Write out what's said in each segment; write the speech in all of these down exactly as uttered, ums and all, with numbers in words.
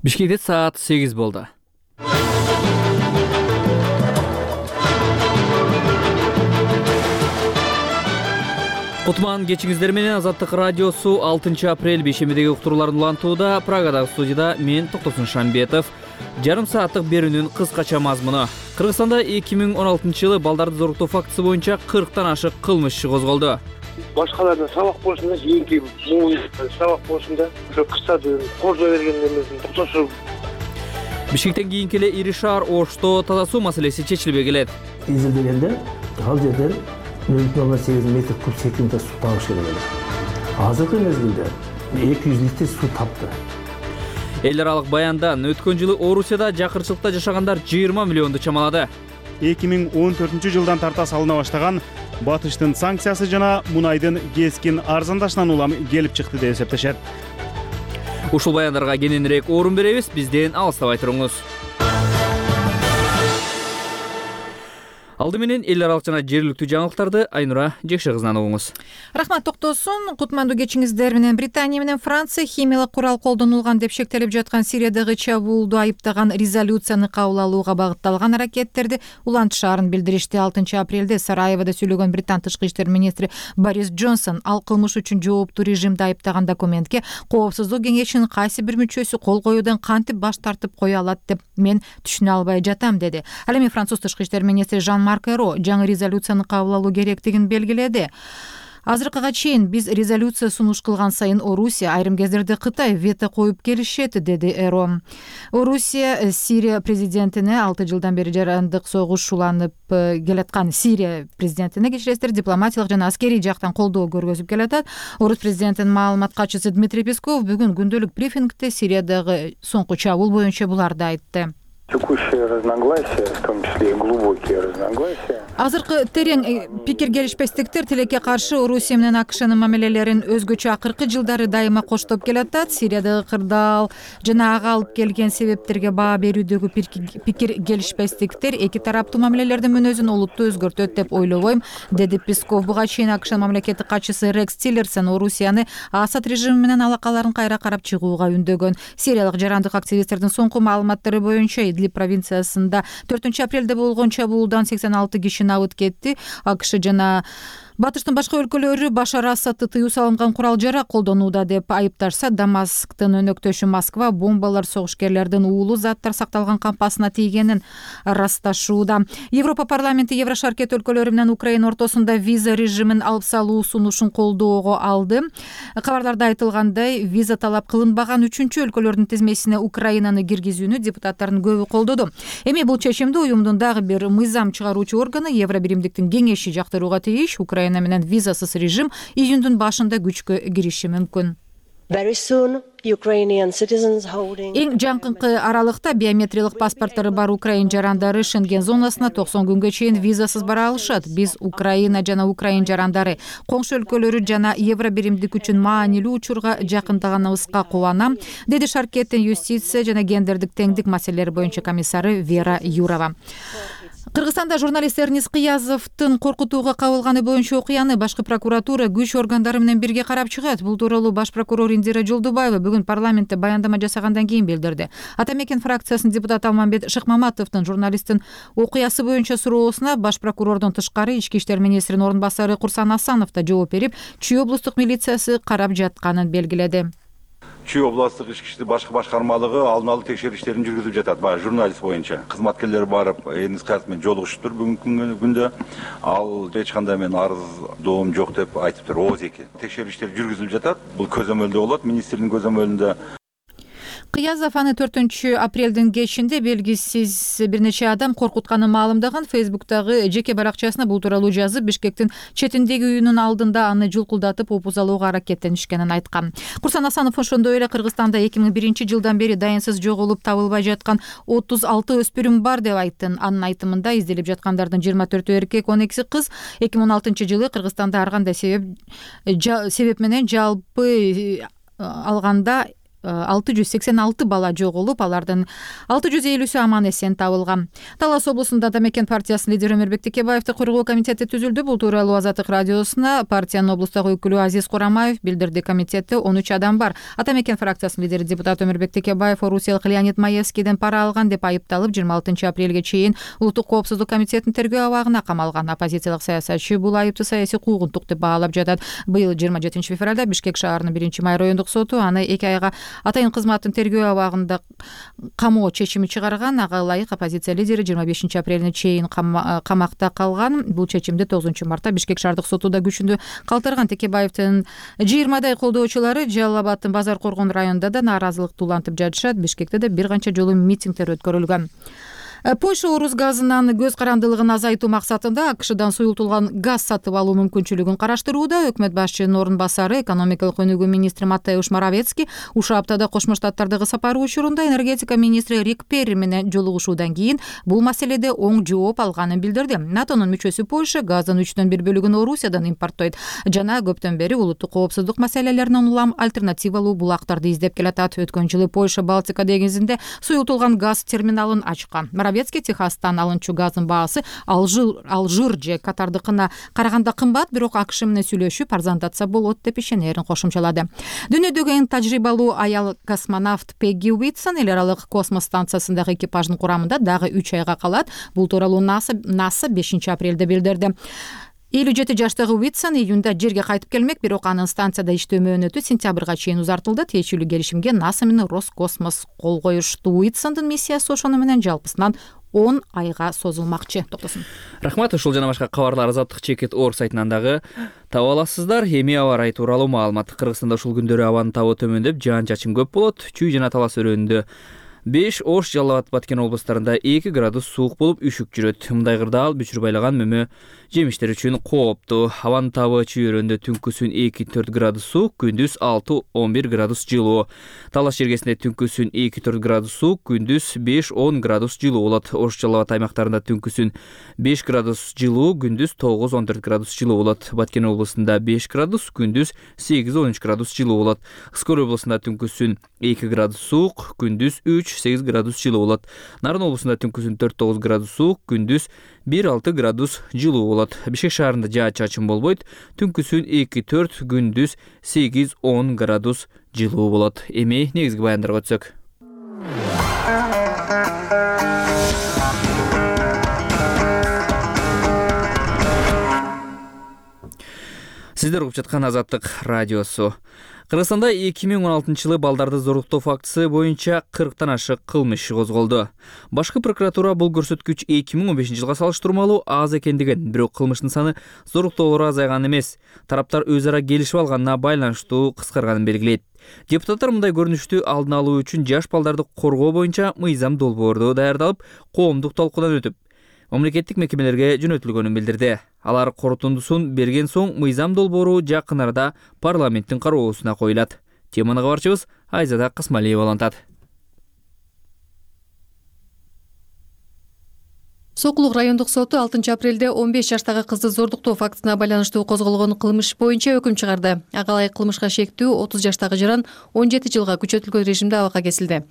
Бишкекте саат сегиз болду. Кутман кечиңиздер менен Азаттык радиосу алтынчы апрель бейшембидеги уктурууларын улантууда. Прагадагы студияда мен Токтосун Шамбетов. Жарым сааттык берүүнүн кыскача мазмуну. Кыргызстанда эки миң он алтынчы жылы балдарды зоруктоо фактысы боюнча кырктан ашык кылмыш иши козголду. Башкалардан сабак болушунда, кийинки муун сабак болушунда, ошо кырсады кордо бергендерден токтошуп. Бишкектен кийинки эле ири шаар Ошто таза суу маселеси чечилбей келет. Изилдегенде ал жерден нөл бүтүн ондон сегиз метр куб секундда суу табыш керек эле. Азыркы мезгилде эки жүз литр суу тапты. Эл аралык баяндан өткөн жылы Орусияда жакырчылыкта жашагандар жыйырма миллионду чамалады. эки миң он төртүнчү жылдан тарта салына баштаган батыштын санкциясы жана мунайдын кескин арзандашынан улам келип чыкты деп эсептешет. Ушул баяндарга кененирээк орун беребиз, бизден алыстабай туруңуз. Алды менен эл аралык жана жергиликтүү жаңылыктарды Айнура Жекше кызынан угуңуз. Рахмат Токтосун. Кутмандуу кечиңиздер менен Британия менен Франция химиялык курал колдонулган деп шектелип жаткан Сириядагы чабуулду айыптаган резолюцияны кабыл алууга багытталган аракеттерди улантышаарын билдиришти. алтынчы апрелде Сараевода сүйлөгөн Британ тышкы иштер министри Борис Джонсон ал кылмыш үчүн жооптуу режимди айыптаган документке Коопсуздук кеңешинин кайсы бир мүчөсү кол коюудан кантип баш тартып кое алат деп мен түшүнө албай жатам деди. Ал эми Француз тышкы иштер министри Жан Марк Эро жаңы резолюцияны кабыл алуу керектигин белгиледи. Азыркыга чейин биз резолюция сунуш кылган сайын Орусия, айрым кездерде Кытай вето коюп келишет, деди Эро. Орусия Сирия президентине алты жылдан бери жарандык согуш уланып келаткан Сирия президентине кечиресиздер дипломатиялык жана аскерий жактан колдоо көргөзүп келатат. Орус президентинин маалымат катчысы Дмитрий Песков бүгүн күндөлүк брифингде Сириядагы соңку чабуул боюнча буларды айтты. Текущие разногласия, в том числе и глубокие разногласия. Азыркы терең пикир келишпестиктер тилекке каршы Орусия менен АКШнын мамилелерин өзгөчө акыркы жылдары дайыма коштоп келатат. Сириядагы кырдаал жана ага алып келген себептерге баа берүүдөгү пикир келишпестиктер эки тараптуу мамилелердин мүнөзүн олуттуу өзгөртөт деп ойлобойм, деди Песков. Буга чейин АКШнын мамлекеттик катчысы Рекс Тиллерсон Орусияны Асад режими менен алакаларын кайра карап чыгууга үндөгөн. Сириялык жарандык активисттердин соңку маалыматтары боюнча Идлиб провинциясында төртүнчү апрелде болгон чабуулдан сексен алты киши абыт кетти. АКШ жана батыштын башка өлкөлөрү Башар Асадты тыюу салынган курал жарак колдонууда деп айыпташса, Дамасктын өнөктөшү Москва бомбалар согушкерлердин уулу заттар сакталган кампасына тийгенин ырасташууда. Европа парламенти Еврошаркет өлкөлөрү менен Украина ортосунда виза режимин алып салуу сунушун колдоого алды. Кабарларда айтылгандай, виза талап кылынбаган үчүнчү өлкөлөрдүн тизмесине Украинаны киргизүүнү депутаттардын көбү колдоду. Эми бул чечимди уюмдун дагы бир мыйзам чыгаруучу органы Евробиримдиктин кеңеши жактырууга тийиш. Украина менен визасыз режим июндун башында күчкө кириши мүмкүн. Эң жакынкы аралыкта биометриялык паспорттары бар украин жарандары Шенген зонасына токсон күнгө чейин визасыз бара алышат. Биз Украина жана украин жарандары коңшу өлкөлөрү жана Евробиримдик үчүн маанилүү учурга жакындаганыбызга кубанам, деди Шаркеттин юстиция жана гендердик теңдик маселелери боюнча комиссары Вера Юрова. Кыргызстанда журналист Эрнис Кыязовдун коркутууга кабылганы боюнча окуяны башкы прокуратура күч органдары менен бирге карап чыгат. Бул тууралуу баш прокурор Индира Жолдубаева бүгүн парламентте баяндама жасагандан кийин билдирди. Ата Мекен фракциясынын депутаты Алмамбет Шыкмаматовдун журналисттин окуясы боюнча суроосуна баш прокурордон тышкары ички иштер министринин орун басары Курсан Асанов да жооп берип, Чүй облустук милициясы карап жатканын белгиледи. Чүй областык ички иштер башкы башкармалыгы алдын алуу текшериштерин жүргүзүп жатат. Баягы журналист боюнча кызматкерлер барып, Эрнис Кыязов менен жолугушуптур бүгүнкү күндө. Ал эч кандай мен арыз доом жок деп айтыптыр. ооз эки текшериштер жүргүзүлүп жатат. Бул көзөмөлдө болот, министрдин көзөмөлүндө. Кыязов аны төртүнчү апрелдин кечинде белгисиз бир нече адам коркутканын маалымдаган. Фейсбуктагы жеке баракчасына бул тууралуу жазып, Бишкектин четиндеги үйүнүн алдында аны жулкулдатып опузалууга аракеттенишкенин айткан. Курсан Асанов ошондой эле Кыргызстанда эки миң биринчи жылдан бери дайынсыз жоголуп табылбай жаткан отуз алты өспүрүм бар деп айтты. Анын айтымында изделип жаткандардын жыйырма төртү эркек, он экиси кыз. эки миң он алтынчы жылы Кыргызстанда ар кандай себеп себеп менен жалпы алганда алты жүз сексен алты бала жоголуп, алардын алты жүз элүүсү аман эсен табылган. Талас облусунда Ата мекен партиясынын лидери Өмүрбек Текебаевди коргоо комитети түзүлдү. Бул тууралуу Азаттык радиосуна партиянын облустагы өкүлү Азиз Курамаев билдирди. Комитетте он үч адам бар. Ата мекен фракциясынын лидери депутат Өмүрбек Текебаев орусиялык Леонид Маевскийден пара алган деп айыпталып, жыйырма алтынчы апрелге чейин улуттук коопсуздук комитетинин тергөө абагына камалган. Оппозициялык саясатчы бул айыпты саясий куугунтук деп баалап жатат. Быйыл жыйырма жетинчи февралда Бишкек шаарынын биринчи май райондук соту аны эки айга атайын кызматтын тергөө абагында камоо чечими чыгарган. Ага ылайык оппозиция лидери жыйырма бешинчи апрелине чейин камакта калган. Бул чечимди тогузунчу мартта Бишкек шаардык соту да күчүндө калтырган. Текебаевдин жыйырмадай колдоочулары Жалал Абадтын Базар Коргон районунда да нааразылык улантып жатышат. Бишкекте да бир канча жолу митингдер өткөрүлгөн. Польша орус газынын көз карандылыгын азайтуу максатында АКШдан суюлтулган газ сатып алуу мүмкүнчүлүгүн караштырууда. Өкмөт башчынын орун басары экономикалык өнүгүү министри Матеуш Моровецкий ушул аптада Кошмо Штаттардагы сапары учурунда энергетика министри Рик Перри менен жолугушуудан кийин бул маселеде оң жооп алганын билдирди. НАТОнун мүчөсү Польша газдын үчтөн бир бөлүгүн Орусиядан импорттойт жана көптөн бери улуттук коопсуздук маселелерине улам альтернативалуу булактарды издеп келатат. Өткөн жылы Польша Балтика деңизинде суюлтулган газ терминалын ачкан. Моровецкий Техастан алынчу газдын баасы Алжир же Катардыкына караганда кымбат, бирок АКШ менен сүйлөшүп арзандатса болот деп ишенерин кошумчалады. Дүйнөдөгү эң тажрыйбалуу аял космонавт Пегги Уитсон эл аралык космос станциясындагы экипаждын курамында дагы үч айга калат. Бул тууралуу НАСА бешинчи апрелде билдирди. элүү жети жаштагы Уитсон июнда жерге кайтып келмек, бирок анын станцияда иштөө мөөнөтү сентябрга чейин узартылды. Тиешелүү келишимге НАСА менен Роскосмос кол коюшту. Уитсондун миссиясы ошону менен жалпысынан он айга созулмакчы. Токтосун. Рахмат. Ушул жана башка кабарлар Азаттык чекит орг сайтынан дагы таба аласыздар. Эми аба ырайы тууралуу маалымат. Кыргызстанда ушул күндөрү абанын табы төмөндөп, жаан-чачын көп болот. Чүй жана Талас өрөөнүндө беш, Ош, Жалал Абад, Баткен облустарында эки градус суук болуп үшүк жүрөт. Мындай кырдаал бүчүр байлаган мөмө жемиштер үчүн кооптуу. Абанын табы Чүй өрөөнүндө түнкүсүн эки төрт градус суук, күндүз алты он бир градус жылуу. Талаш жергесинде түнкүсүн эки төрт градус суук, күндүз беш он градус жылуу болот. Ош, Жалал Абад аймактарында түнкүсүн беш градус жылуу, күндүз тогуз он төрт градус жылуу болот. Баткен облусунда беш градус, күндүз сегиз он үч градус жылуу болот. Ыскөл облусунда түнкүсүн эки градус суук, күндүз үч сегиз градус жылуу болот. Нарын облусунда түнкүсүн төрт тогуз градус суук, күндүз бир алты градус жылуу болот. Бишкек шаарында жаан-чачын болбойт. Түнкүсүн эки төрт, күндүз сегиз он градус жылуу болот. Эми негизги баяндарга өтсөк. Сиздер угуп жаткан Азаттык радиосу. Кыргызстанда эки миң он алтынчы жылы балдарды зорлуктоо фактысы боюнча кырктан ашык кылмыш козголду. Башкы прокуратура бул көрсөткүч эки миң он бешинчи жылга салыштырмалуу аз экендигин, бирок кылмыштын саны зорлуктоолор азайган эмес. Тараптар өз ара келишип алганына байланыштуу кыскарганын белгилейт. Депутаттар мындай көрүнүштү алдын алуу үчүн жаш балдарды коргоо боюнча мыйзам долбоорду даярдалып, коомдук талкуудан өтүп, мамлекеттик мекемелерге жөнөтүлгөнүн билдирди. Алар корутундусун берген соң мыйзам долбоору жакын арада парламенттин кароосуна коюлат. Теманы кабарчыбыз Айзада Касмалиева улантат. Сокулук райондук соту алтынчы апрелде он беш жаштагы кызды зордуктоо фактысына байланыштуу козголгон кылмыш боюнча өкүм чыгарды. Ага ылайык кылмышка шектүү отуз жаштагы жаран он жети жылга күчөтүлгөн режимде абакка кесилди.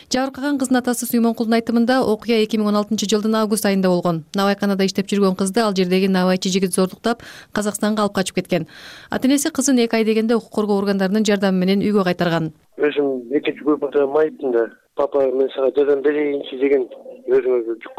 Жабыркаган кыздын атасы Сүймөнкулдун айтымында окуя эки миң он алтынчы жылдын август айында болгон. Набайканада иштеп жүргөн кызды ал жердеги набайчы жигит зордуктап Казакстанга алып качып кеткен. Ата-энеси кызын эки ай дегенде укук коргоо органдарынын жардамы менен үйгө кайтарган. Өзүм экинчи көпүрдө майыптында папа мен сага жардам берейинчи деген өзүмө жүк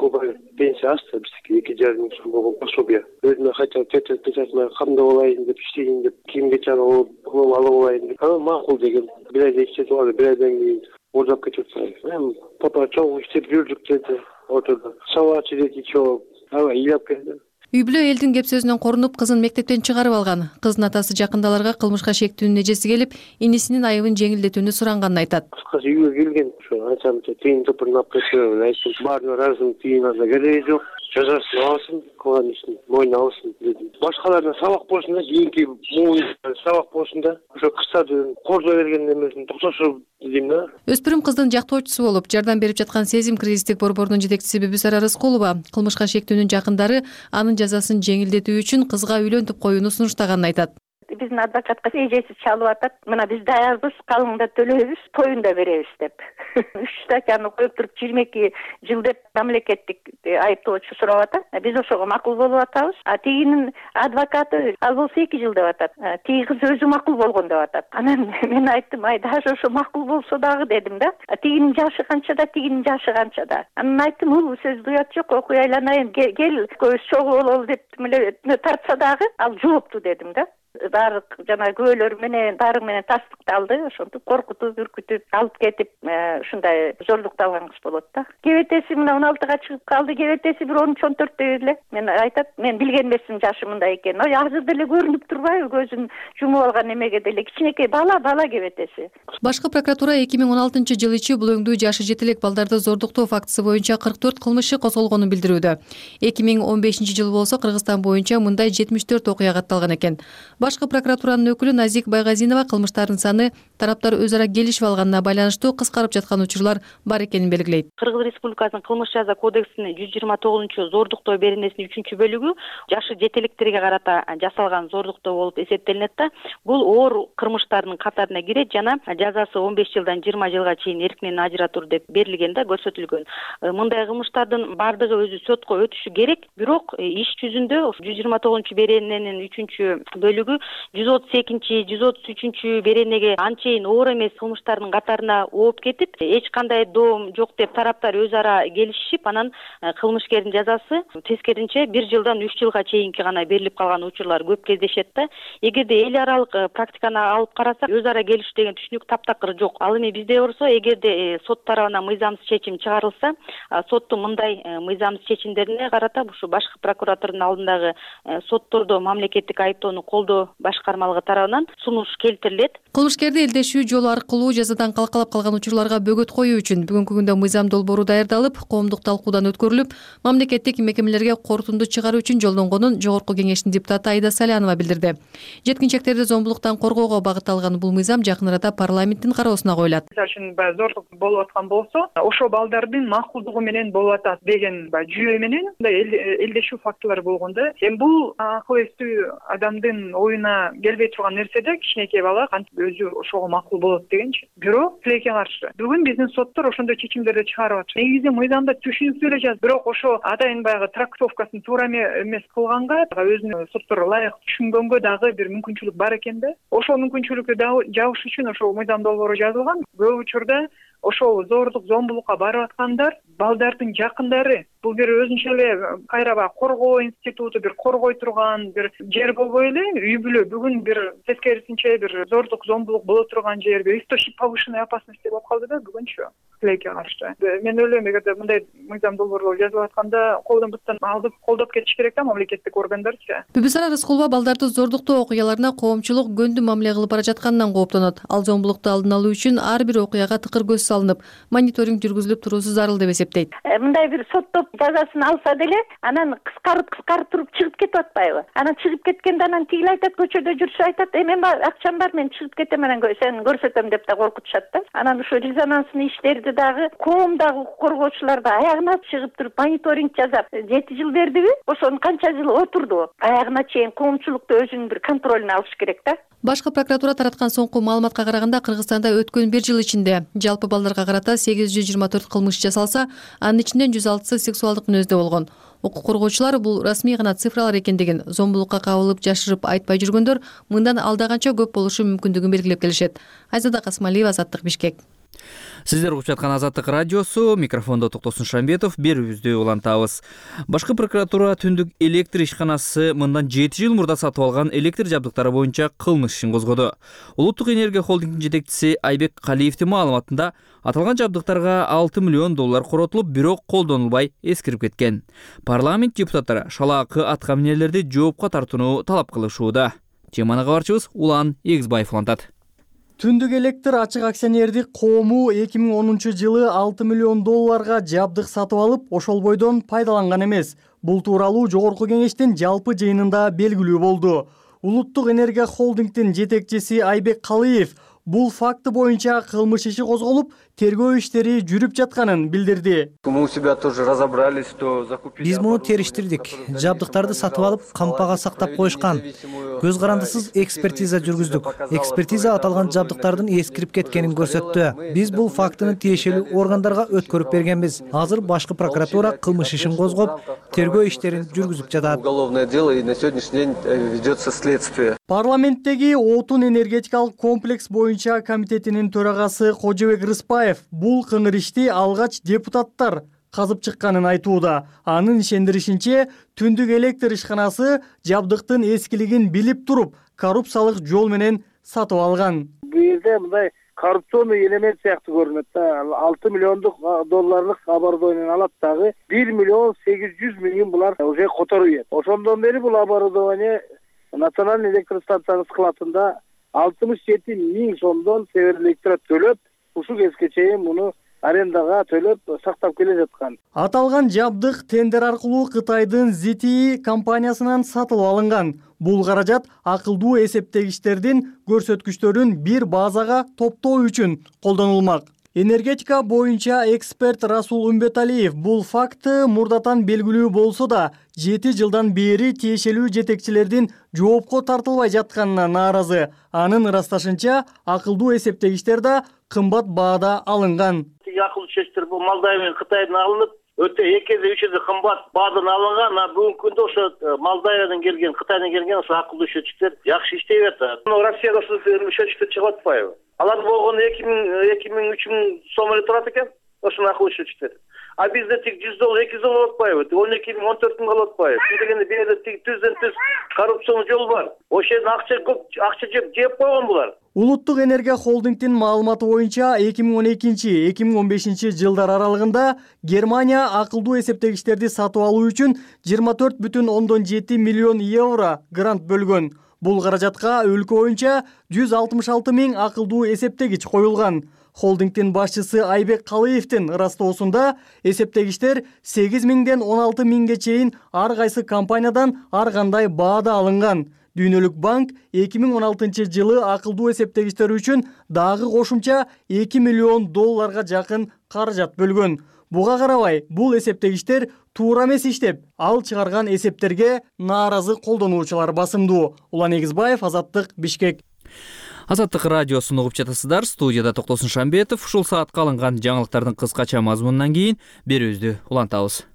пенсия асты, биздики эки жарым миң сом болгон пособие. Өзүмө кайта печатына камдап алайын деп иштейин деп, кийимге алып алып алайын деп. Ана макул деген. Бир айда иштетип алды, бир айдан кийин ордап кетип атты. Мен папа чоң иштеп жүрдүк деди. Ортодо сабачы деди чоң. Аба ыйлап келди. Үй бүлө элдин кеп сөзүнөн корунуп кызын мектептен чыгарып алган. Кыздын атасы жакындаларга кылмышка шектүүнүн эжеси келип, инисинин айыбын жеңилдетүүнү суранганын айтат. Кыскасы үйгө келген, ошо ачам тыйын топурун алып кеткен, айттым, баарына ыраазымын, тыйын алса кереги жок. Жазасын алсын, кылган ишин мойнуна алсын дедим. Башкаларына сабак болсун да, кийинки муун сабак болсун да, ошо кыздарды кордой берген эмесин токтошуп дедим да. Өспүрүм кыздын жактоочусу болуп, жардам берип жаткан Сезим кризистик борборунун жетекчиси Бибисара Рыскулова кылмышка шектүүнүн жакындары анын жазасын жеңилдетүү үчүн кызга үйлөнтүп коюуну сунуштаганын айтат. биздин адвокатка эжеси чалып атат, мына биз даярбыз, калыңда төлөйбүз, тоюн да беребиз деп. үч статьяны коюп туруп жыйырма эки жыл деп мамлекеттик айыптоочу сурап атат. Биз ошого макул болуп атабыз. А тигинин адвокаты ал болсо эки жыл деп атат. Тиги кыз өзү макул болгон деп атат. Анан мен айттым, ай даже ошо макул болсо дагы дедим да. Тигинин жашы канча да, тигинин жашы канча да. Анан айттым, ул сөздү уят жок, окуй айланайын, кел, көз чогуу бололу деп тартса дагы ал жоопту дедим да. Баары жана күбөлөр менен баары менен тастыкталды, ошентип коркутуп, үркүтүп алып кетип ушундай зордукталган кыз болот да. Кебетеси мына он алтыга чыгып калды, кебетеси бир он үч он төрттө эле. Мен айтат, мен билген эмесмин жашы мындай экенин. Ой, азыр деле көрүнүп турбайбы, көзүн жумуп алган эмеге деле кичинекей бала, бала кебетеси. Башкы прокуратура эки миң он алтынчы жыл ичи бул өңдүү жашы жете элек балдарды зордуктоо фактысы боюнча кырк төрт кылмыш иши козголгонун билдирүүдө. эки миң он бешинчи жыл болсо Кыргызстан боюнча мындай жетимиш төрт окуя катталган экен. Башкы прокуратуранын өкүлү Назик Байгазинова кылмыштардын саны тараптар өз ара келишип алганына байланыштуу кыскарып жаткан учурлар бар экенин белгилейт. Кыргыз Республикасынын кылмыш жаза кодексинин жүз жыйырма тогузунчу зордуктоо беренесинин үчүнчү бөлүгү жашы жетелектерге карата жасалган зордуктоо болуп эсептелинет да. Бул оор кылмыштардын катарына кирет жана жазасы он беш жылдан жыйырма жылга чейин эркинен ажыратуу деп берилген да, көрсөтүлгөн. Мындай кылмыштардын бардыгы өзү сотко өтүшү керек, бирок иш жүзүндө жүз жыйырма тогузунчу берененин үчүнчү бөлүгү жүз отуз экинчи жүз отуз үчүнчү беренеге анчейин оор эмес кылмыштардын катарына ооп кетип, эч кандай доом жок деп тараптар өз ара келишип, анан кылмышкердин жазасы тескеринче бир жылдан үч жылга чейинки гана берилип калган учурлар көп кездешет да. Эгерде эл аралык практиканы алып карасак, өз ара келиш деген түшүнүк таптакыр жок. Ал эми бизде болсо, эгерде сот тарабынан мыйзамсыз чечим чыгарылса, соттун мындай мыйзамсыз чечимдерине карата ушу башкы прокуратуранын алдындагы соттордо мамлекеттик айыптоону колдоо башкармалыгы тарабынан сунуш келтирилет. Кылмышкерди элдешүү жолу аркылуу жазадан калкалап калган учурларга бөгөт коюу үчүн бүгүнкү күндө мыйзам долбоору даярдалып, коомдук талкуудан өткөрүлүп, мамлекеттик мекемелерге корутунду чыгаруу үчүн жолдонгонун Жогорку Кеңештин депутаты Айда Салянова билдирди. Жеткинчектерди зомбулуктан коргоого багытталган бул мыйзам жакын арада парламенттин кароосуна коюлат. Мисалы үчүн баягы зордук болуп аткан болсо, ошо балдардын макулдугу менен болуп атат деген баягы жүйө менен элдешүү фактылар болгондо, эми бул акыл эстүү адамдын оюна келбей турган нерседе кичинекей бала кантип өзү ошого макул болот дегенчи. Бирок тилекке каршы бүгүн биздин соттор ошондой чечимдерди чыгарып атышат. Негизи мыйзамда түшүнүктүү эле жазып, бирок ошо атайын баягы трактовкасын туура эмес кылганга өзүнүн соттор ылайык түшүнгөнгө дагы бир мүмкүнчүлүк бар экен да. Ошол мүмкүнчүлүктү жабыш үчүн ошол мыйзам долбоору жазылган. Көп учурда ошол зордук, зомбулукка барып аткандар балдардын жакындары. Бул бир өзүнчө эле кайра баягы коргоо институту, бир коргой турган бир жер болбой эле үй бүлө. Бүгүн бир тескерисинче бир зордук, зомбулук боло турган жер, бир источник повышенной опасности болуп калды да бүгүнчү тилекке каршы. Мен ойлойм, эгерде мындай мыйзам долбоорлор жазылып атканда колдон буттан алып колдоп кетиш керек да мамлекеттик органдарчы. Бүбүсара Рыскулова балдарды зордуктоо окуяларына коомчулук көндү мамиле кылып бара жатканынан кооптонот. Ал зомбулукту алдын алуу үчүн ар бир окуяга тыкыр көз салынып, мониторинг жүргүзүлүп туруусу зарыл деп эсептейт. Мындай бир соттоп жазасын алса деле, анан кыскарып кыскарып туруп чыгып кетип атпайбы? Анан чыгып кеткенде анан тигил айтат, көчөдө жүрсө айтат, "Э мен акчам бар, мен чыгып кетем, анан сени көрсөтөм" деп да коркутушат да. Анан ошо резонанстын иштерди дагы коом дагы коргоочулар да аягына чыгып туруп мониторинг жасап, жети жыл бердиби? Ошону канча жыл отурду? Аягына чейин коомчулукту өзүнүн бир контролуна алыш керек да. Башкы прокуратура тараткан соңку маалыматка караганда, Кыргызстанда өткөн бир жыл ичинде жалпы балдарга карата сегиз жүз жыйырма төрт кылмыш жасалса, анын ичинен жүз алтысы сексуалдык мүнөздө болгон. Укук коргоочулар бул расмий гана цифралар экендигин, зомбулукка кабылып жашырып айтпай жүргөндөр мындан алдаганча көп болушу мүмкүндүгүн белгилеп келишет. Айзада Касмалиева, Азаттык, Бишкек. Сиздер угуп жаткан Азаттык радиосу, микрофондо Токтосун Шамбетов. Берүүбүздү улантабыз. Башкы прокуратура түндүк электр ишканасы мындан жети жыл мурда сатып алган электр жабдыктары боюнча кылмыш ишин козгоду. Улуттук энергия холдингинин жетекчиси Айбек Калиевдин маалыматында аталган жабдыктарга алты миллион доллар коротулуп, бирок колдонулбай эскирип кеткен. Парламент депутаттары шалаакы аткаминерлерди жоопко тартууну талап кылышууда. Теманы кабарчыбыз Улан Эгизбаев улантат. Түндүк электр ачык акционердик коому эки миң онунчу жылы алты миллион долларга жабдык сатып алып, ошол бойдон пайдаланган эмес. Бул тууралуу Жогорку Кеңештин жалпы жыйынында белгилүү болду. Улуттук энергия холдингдин жетекчиси Айбек Калиев бул факты боюнча кылмыш иши козголуп, тергөө иштери жүрүп жатканын билдирди. Мы у себя тоже разобрались, что закупили. Биз муну териштирдик. Жабдыктарды сатып алып, кампага сактап коюшкан. Көз карандысыз экспертиза жүргүздүк. Экспертиза аталган жабдыктардын эскирип кеткенин көрсөттү. Биз бул фактыны тиешелүү органдарга өткөрүп бергенбиз. Азыр башкы прокуратура кылмыш ишин козгоп, тергөө иштерин жүргүзүп жатат. Уголовное дело, и на сегодняшний день ведется следствие. Парламенттеги отун энергетикалык комплекс боюнча комитетинин төрагасы Кожобек Рыспаев бул кыңыр ишти алгач депутаттар казып чыкканын айтууда. Анын ишендиришинче, түндүк электр ишканасы жабдыктын эскилигин билип туруп, коррупциялык жол менен сатып алган. Бул жерде мындай коррупционный элемент сыяктуу көрүнөт да. алты миллиондук долларлык оборудованияны алат дагы бир миллион сегиз жүз миң булар уже которуп ийет. Ошондон бери бул оборудование национальный электростанциянын складында алтымыш жети миң сомдон Север Электро төлөп, ушул кезге чейин муну арендага төлөп сактап келе жаткан. Аталган жабдык тендер аркылуу Кытайдын зэ тэ и компаниясынан сатылып алынган. Бул каражат акылдуу эсептегичтердин көрсөткүчтөрүн бир базага топтоо үчүн колдонулмак. Энергетика боюнча эксперт Расул Умбеталиев бул факты мурдатан белгилүү болсо да, жети жылдан бери тиешелүү жетекчилердин жоопко тартылбай жатканына нааразы. Анын ырасташынча, акылдуу эсептегичтер да кымбат баада алынган. Акылдуу чечтер бул Молдавия менен Кытайдан алынып, өтө эки эсе үч эсе кымбат баадан алынган. А бүгүнкү күндө ошо Молдавиядан келген, Кытайдан келген ошо акылдуу чечтер жакшы иштеп атат. Россияда ошо чечтер чыгып атпайбы? Алар болгону эки миң эки миң үч миң сом эле турат экен. Ошону акылдуу чечтер. А бизде тик жүз доллар, эки жүз доллар атпайбы? он эки миң, он төрт миң калып атпайбы? Бул дегенде бул жерде тик түздөн түз коррупциянын жолу бар. Ошол жерде акча көп, акча жеп жеп койгон булар. Улуттук энергия холдингдин маалыматы боюнча эки миң он экинчи — эки миң он бешинчи жылдар аралыгында Германия акылдуу эсептегичтерди сатып алуу үчүн жыйырма төрт бүтүн ондон жети миллион евро грант бөлгөн. Бул каражатка өлкө боюнча жүз алтымыш алты миң акылдуу эсептегич коюлган. Холдингдин башчысы Айбек Калыевдин ырастоосунда эсептегичтер сегиз миңден он алты миңге чейин ар кайсы компаниядан ар кандай баада алынган. Дүйнөлүк банк эки миң он алтынчы жылы акылдуу эсептегичтер үчүн дагы кошумча эки миллион долларга жакын каражат бөлгөн. Буга карабай, бул эсептегичтер туура эмес иштеп, ал чыгарган эсептерге нааразы колдонуучулар басымдуу. Улан Эгизбаев, Азаттык, Бишкек. Азаттык радиосун угуп жатасыздар. Студияда Токтосун Шамбетов. Ушул саатка алынган жаңылыктардын кыскача мазмунунан кийин берүүбүздү улантабыз.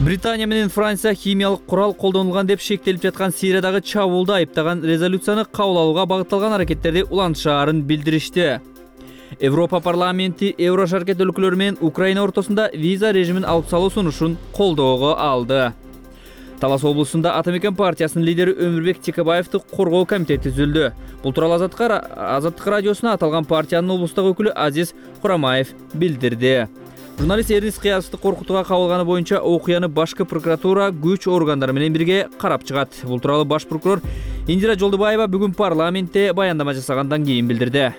Британия менен Франция химиялык курал колдонулган деп шектелип жаткан Сириядагы чабуулду айыптаган резолюцияны кабыл алууга багытталган аракеттерди улантышаарын билдиришти. Европа парламенти Евро шаркет өлкөлөрү менен Украина ортосунда виза режимин алып салуу сунушун колдоого алды. Талас облусунда Атамекен партиясынын лидери Өмүрбек Текебаевди коргоо комитети түзүлдү. Бул тууралуу Азаттык радиосуна аталган партиянын облустук өкүлү Азиз Курамаев билдирди. Журналист Эрнис Кыязовду коркутууга кабылганы боюнча окуяны башкы прокуратура күч органдары менен бирге карап чыгат. Бул тууралуу баш прокурор Индира Жолдубаева бүгүн парламентте баяндама жасагандан кийин билдирди.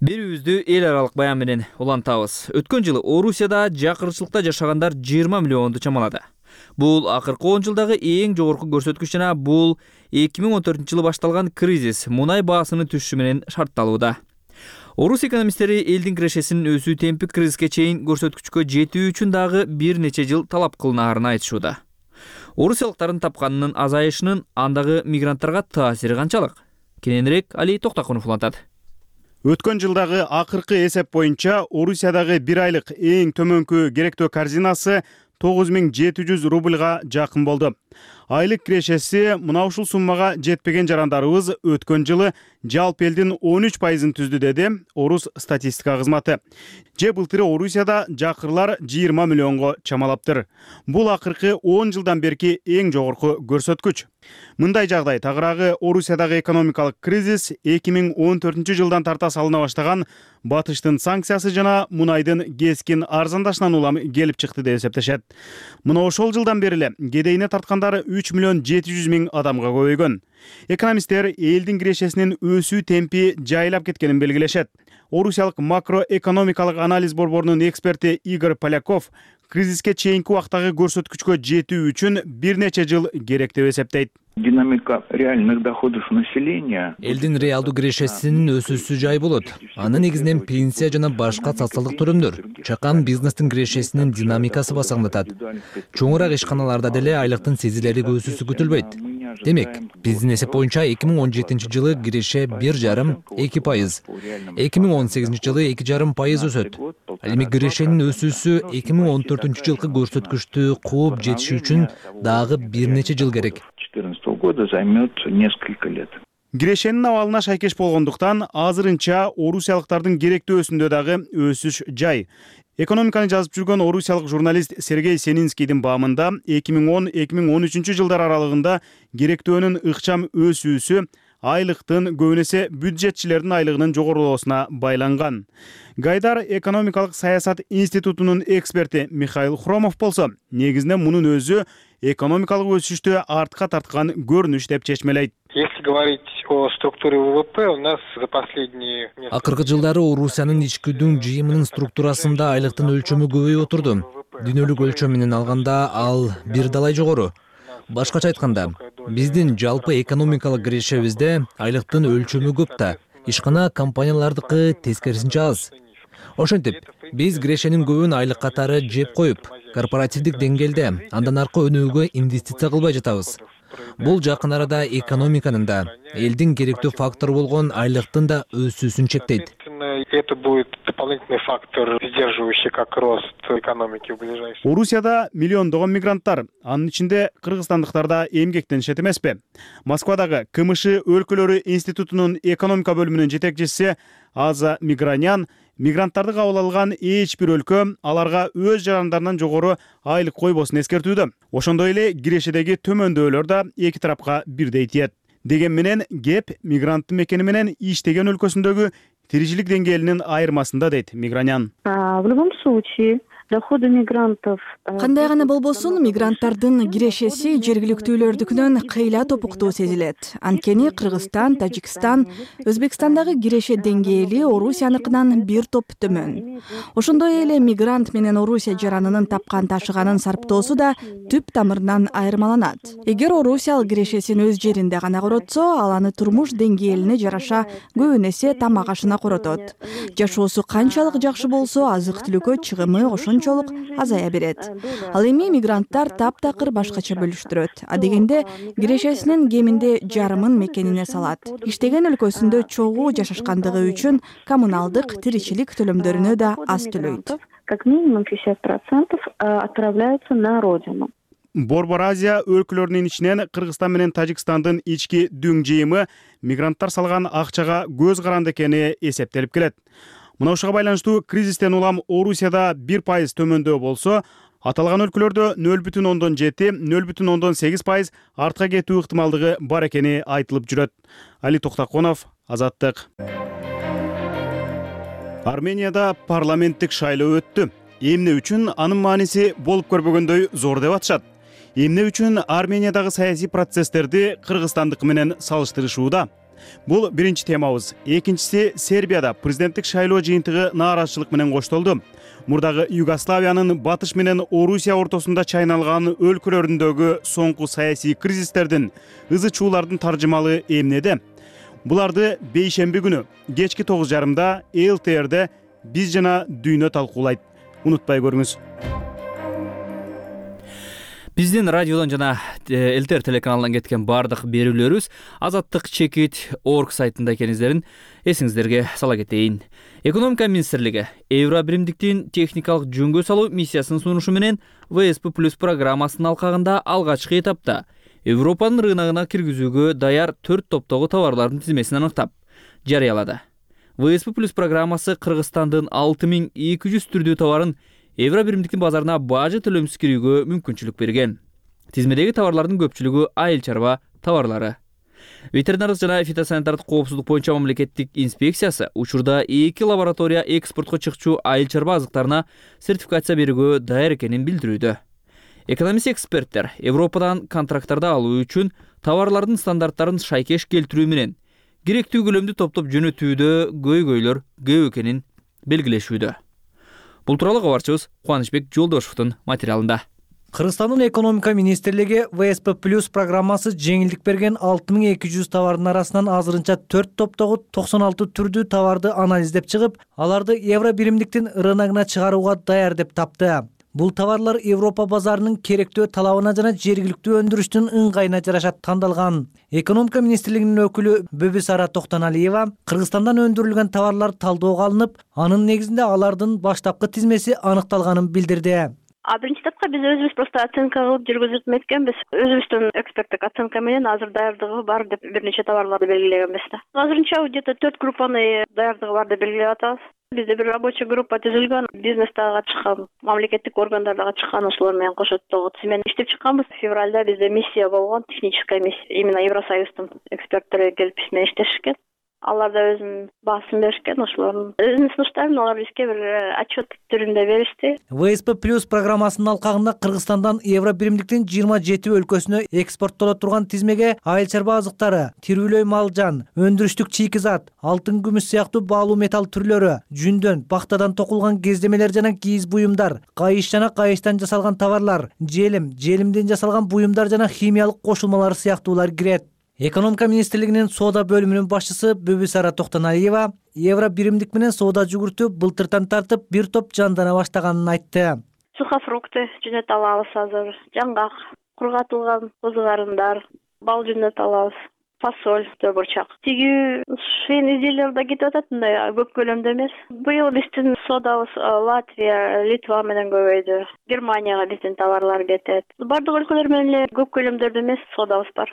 Берүүбүздү эл аралык баян менен улантабыз. Өткөн жылы Орусияда жакырчылыкта жашагандар жыйырма миллионду чамалады. Бул акыркы он жылдагы эң жогорку көрсөткүч жана бул эки миң он төртүнчү жылы башталган кризис мунай баасынын түшүшү менен шартталууда. Орус экономисттери элдин кирешесинин өсүү темпи кризиске чейин көрсөткүчкө жетүү үчүн дагы бир нече жыл талап кылынаарын айтышууда. Орусиялыктардын тапканынын азайышынын андагы мигранттарга таасири канчалык? Кененирээк Али Токтакунов улантат. Өткөн жылдагы акыркы эсеп боюнча Орусиядагы бир айлык эң төмөнкү керектөө корзинасы тогуз миң жети жүз рубльга жакын болду. Айлык кирешеси мына ушул суммага жетпеген жарандарыбыз өткөн жылы жалпы элдин он үч пайызын түздү, деди Орус статистика кызматы. Же былтыры Орусияда жакырлар жыйырма миллионго чамалаптыр. Бул акыркы он жылдан берки эң жогорку көрсөткүч. Мындай жагдай тагыраагы Орусиядагы экономикалык кризис эки миң он төртүнчү жылдан тарта салына баштаган батыштын санкциясы жана мунайдын кескин арзандашынан улам келип чыкты деп эсептешет. Мына ошол жылдан бери эле кедейине тартканда жарандары үч миллион жети жүз миң адамга көбөйгөн. Экономисттер элдин кирешесинин өсүү темпи жайлап кеткенин белгилешет. Орусиялык макроэкономикалык анализ борборунун эксперти Игорь Поляков кризиске чейинки убактагы көрсөткүчкө жетүү үчүн бир нече жыл керек деп эсептейт. Динамика реальных доходов населения. Элдин реалдуу кирешесинин өсүүсү жай болот. Аны негизинен пенсия жана башка социалдык төлөмдөр, чакан бизнестин кирешесинин динамикасы басаңдатат. Чоңураак ишканаларда деле айлыктын сезилерлик өсүүсү күтүлбөйт. Демек, биздин эсеп боюнча эки миң он жетинчи жылы киреше бир жарым эки пайыз, эки миң он сегизинчи жылы эки жарым пайыз өсөт. Ал эми кирешенин өсүүсү эки миң он төртүнчү жылкы көрсөткүчтү кууп жетиши үчүн дагы бир нече жыл керек. две тысячи четырнадцатого года займет несколько лет. Кирешенин абалына шайкеш болгондуктан азырынча орусиялыктардын керектөөсүндө дагы өсүш жай. Экономиканы жазып жүргөн орусиялык журналист Сергей Сенинскийдин баамында эки миң он - эки миң он үчүнчү жылдар аралыгында керектөөнүн ыкчам өсүүсү айлыктын көбүнесе бюджетчилердин айлыгынын жогорулоосуна байланган. Гайдар экономикалык саясат институтунун эксперти Михаил Хромов болсо, негизинен мунун өзү экономикалык өсүштү артка тарткан көрүнүш деп чечмелейт. Если говорить о структуре ВВП, у нас за последние... Акыркы жылдары Орусиянын ичкүдүн жыйымынын структурасында айлыктын өлчөмү көбөйүп отурду. Дүйнөлүк өлчөм менен алганда ал бир далай жогору. Башкача айтканда, биздин жалпы экономикалык кирешебизде айлыктын өлчөмү көп да, ишкана компаниялардыкы тескерисинче аз. Ошентип, биз кирешенин көбүн айлык катары жеп коюп, корпоративдик деңгээлде андан аркы өнүүгө инвестиция кылбай жатабыз. Бул жакын арада экономиканын да, элдин керектүү фактору болгон айлыктын да өсүүсүн чектейт. Это будет дополнительный фактор, сдерживающий как рост экономики в ближайшем. Орусияда миллиондогон мигранттар, анын ичинде кыргызстандыктар да эмгектенишет эмеспи? Москвадагы КМШ өлкөлөрү институтунун экономика бөлүмүнүн жетекчиси Аза Мигранян мигранттарды кабыл алган эч бир өлкө аларга өз жарандарынан жогору айлык койбосун эскертүүдө. Ошондой эле кирешедеги төмөндөөлөр да эки тарапка бирдей тиет. Деген менен кеп мигранттын мекени менен иштеген өлкөсүндөгү тиричилик деңгээлинин айырмасында дейт Мигранян. В любом случае, доходы мигрантов... Кандай гана болбосун, мигранттардын кирешеси жергиликтүүлөрдүкүнөн кыйла топуктуу сезилет. Анткени Кыргызстан, Тажикстан, Өзбекстандагы киреше деңгээли Орусияныкынан бир топ төмөн. Ошондой эле мигрант менен Орусия жаранынын тапкан ташыганын сарптоосу да түп тамырынан айырмаланат. Эгер Орусиялык кирешесин өз жеринде гана коротсо, ал аны турмуш деңгээлине жараша көбүн эсе тамак ашына коротот. Жашоосу канчалык жакшы болсо, азык-түлүккө чыгымы ошончолук азая берет. Ал эми мигранттар таптакыр башкача бөлүштүрөт. А дегенде кирешесинин кеминде жарымын мекенине салат. Иштеген өлкөсүндө чогуу жашашкандыгы үчүн коммуналдык, тиричилик төлөмдөрүнө да аз төлөйт. Как минимум шестьдесят процентов отправляются на родину. Борбор Азия өлкөлөрүнүн ичинен Кыргызстан менен Тажикстандын ички дүң жыйымы мигранттар салган акчага көз каранды экени эсептелип келет. Мына ушуга байланыштуу кризистен улам Орусияда бир пайыз төмөндөө болсо, аталган өлкөлөрдө нөл бүтүн ондон жети - нөл бүтүн ондон сегиз пайыз артка кетүү ыктымалдыгы бар экени айтылып жүрөт. Али Токтаконов, Азаттык. Арменияда парламенттик шайлоо өттү. Эмне үчүн анын мааниси болуп көрбөгөндөй зор деп атышат. Эмне үчүн Армениядагы саясий процесстерди Кыргызстандык менен салыштырышууда? Бул биринчи темабыз. Экинчиси, Сербияда президенттик шайлоо жыйынтыгы нааразычылык менен коштолду. Мурдагы Югославиянын батыш менен Орусия ортосунда чайналган өлкөлөрүндөгү соңку саясий кризистердин, ызы чуулардын таржымалы эмнеде? Буларды бейшемби күнү кечки тогуз жарымда эл ти эрде биз жана дүйнө талкуулайт. Унутпай көрүңүз. Биздин радиодон жана эл ти эр телеканалынан кеткен бардык берүүлөрүбүз азаттык чекит точка орг сайтында экениңиздерин эсиңиздерге сала кетейин. Экономика министрлиги Евро биримдиктин техникалык жөнгө салуу миссиясынын сунушу менен вэ эс пэ плюс программасынын алкагында алгачкы этапта Европанын рыногуна киргизүүгө даяр төрт топтогу товарлардын тизмесин аныктап жарыялады. вэ эс пэ плюс программасы Кыргызстандын алты миң эки жүз түрдүү товарын Евро биримдиктин базарына бажы төлөмсүз кирүүгө мүмкүнчүлүк берген. Тизмедеги товарлардын көпчүлүгү айыл чарба товарлары. Ветеринардык жана фитосанитардык коопсуздук боюнча мамлекеттик инспекциясы учурда эки лаборатория экспортко чыкчу айыл чарба азыктарына сертификация берүүгө даяр экенин билдирүүдө. Экономист эксперттер Европадан контракттарды алуу үчүн товарлардын стандарттарын шайкеш келтирүү менен керектүү көлөмдү топтоп жөнөтүүдө көйгөйлөр көп экенин белгилешүүдө. Бул тууралуу кабарчыбыз Кубанычбек Жолдошевдун материалында. Кыргызстандын экономика министрлиги вэ эс пэ плюс программасы жеңилдик берген алты миң эки жүз товардын арасынан азырынча төрт топтогу токсон алты түрдүү товарды анализдеп чыгып, аларды евро биримдиктин рыногуна чыгарууга даяр деп тапты. Бул товарлар Европа базарынын керектүү талабына жана жергиликтүү өндүрүштүн ыңгайына жараша тандалган. Экономика министрлигинин өкүлү Бөбүсара Токтоналиева Кыргызстандан өндүрүлгөн товарлар талдоого алынып, анын негизинде алардын баштапкы тизмеси аныкталганын билдирди. А биринчи этапка биз өзүбүз просто оценка кылып жүргүзүп эметкенбиз. Өзүбүздүн эксперттик оценка менен азыр даярдыгы бар деп бир нече товарларды белгилегенбиз да. Азырынча где то төрт группаны даярдыгы бар деп белгилеп атабыз. Бизде бир рабочий группа түзүлгөн, бизнес дагы чыккан, мамлекеттик органдар дагы чыккан, ошолор менен кошо тизмени иштеп чыкканбыз. Февралда бизде миссия болгон, техническая миссия, именно Евросоюздун эксперттери келип биз менен иштешкен. Алар да өзүнүн баасын беришкен, ошолордун өзүнүн сунуштарын алар бизге бир отчет түрүндө беришти. вэ эс пэ плюс программасынын алкагында Кыргызстандан евро биримдиктин жыйырма жети өлкөсүнө экспорттоло турган тизмеге айыл чарба азыктары, тирүүлөй мал жан, өндүрүштүк чийки зат, алтын күмүш сыяктуу баалуу металл түрлөрү, жүндөн, бактадан токулган кездемелер жана кийиз буюмдар, кайыш жана кайыштан жасалган товарлар, желим, желимден жасалган буюмдар жана химиялык кошулмалар сыяктуулар кирет. Экономика министрлигинин соода бөлүмүнүн башчысы Бөбүсара Токтоналиева евро биримдик менен соода жүгүртүү былтыртан тартып бир топ жандана баштаганын айтты. Сухофрукты жөнөтө алабыз азыр, жаңгак, кургатылган козу карындар, бал жөнөтө алабыз, фасоль, төбурчак. Тигүү шейин изделиялар да кетип атат, мындай көп көлөмдө эмес. Быйыл биздин соодабыз Латвия, Литва менен көбөйдү. Германияга биздин товарлар кетет. Бардык өлкөлөр менен эле көп көлөмдөрдө эмес соодабыз бар.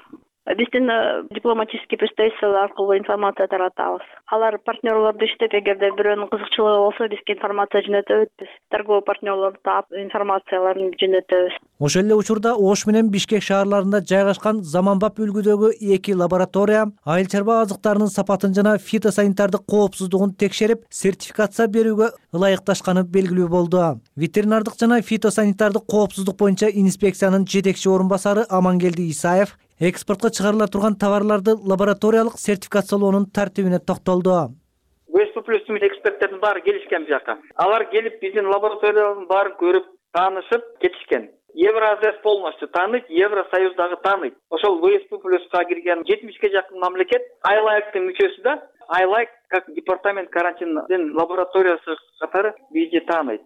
Биздин дипломатический представитель аркылуу информация таратабыз. Алар партнерлорду иштеп, эгерде бирөөнүн кызыкчылыгы болсо, бизге информация жөнөтөбүз. Биз торговый партнерлорду таап, информацияларын жөнөтөбүз. Ошол эле учурда Ош менен Бишкек шаарларында жайгашкан заманбап үлгүдөгү эки лаборатория айыл чарба азыктарынын сапатын жана фитосанитардык коопсуздугун текшерип, сертификация берүүгө ылайыкташканы белгилүү болду. Ветеринардык жана фитосанитардык коопсуздук боюнча инспекциянын жетекчи орун басары Амангелди Исаев экспортко чыгарыла турган товарларды лабораториялык сертификациялоонун тартибине токтолду. вэ эс пэ плюстун эксперттердин баары келишкен бул жака. Алар келип биздин лабораториялардын баарын көрүп, таанышып кетишкен. Евразес полностью тааныйт, Евросоюз дагы тааныйт. Ошол вэ эс пэ плюска кирген жетимишке жакын мамлекет айлайктын мүчөсү да. Айлайк как департамент карантиндин лабораториясы катары бизди тааныйт.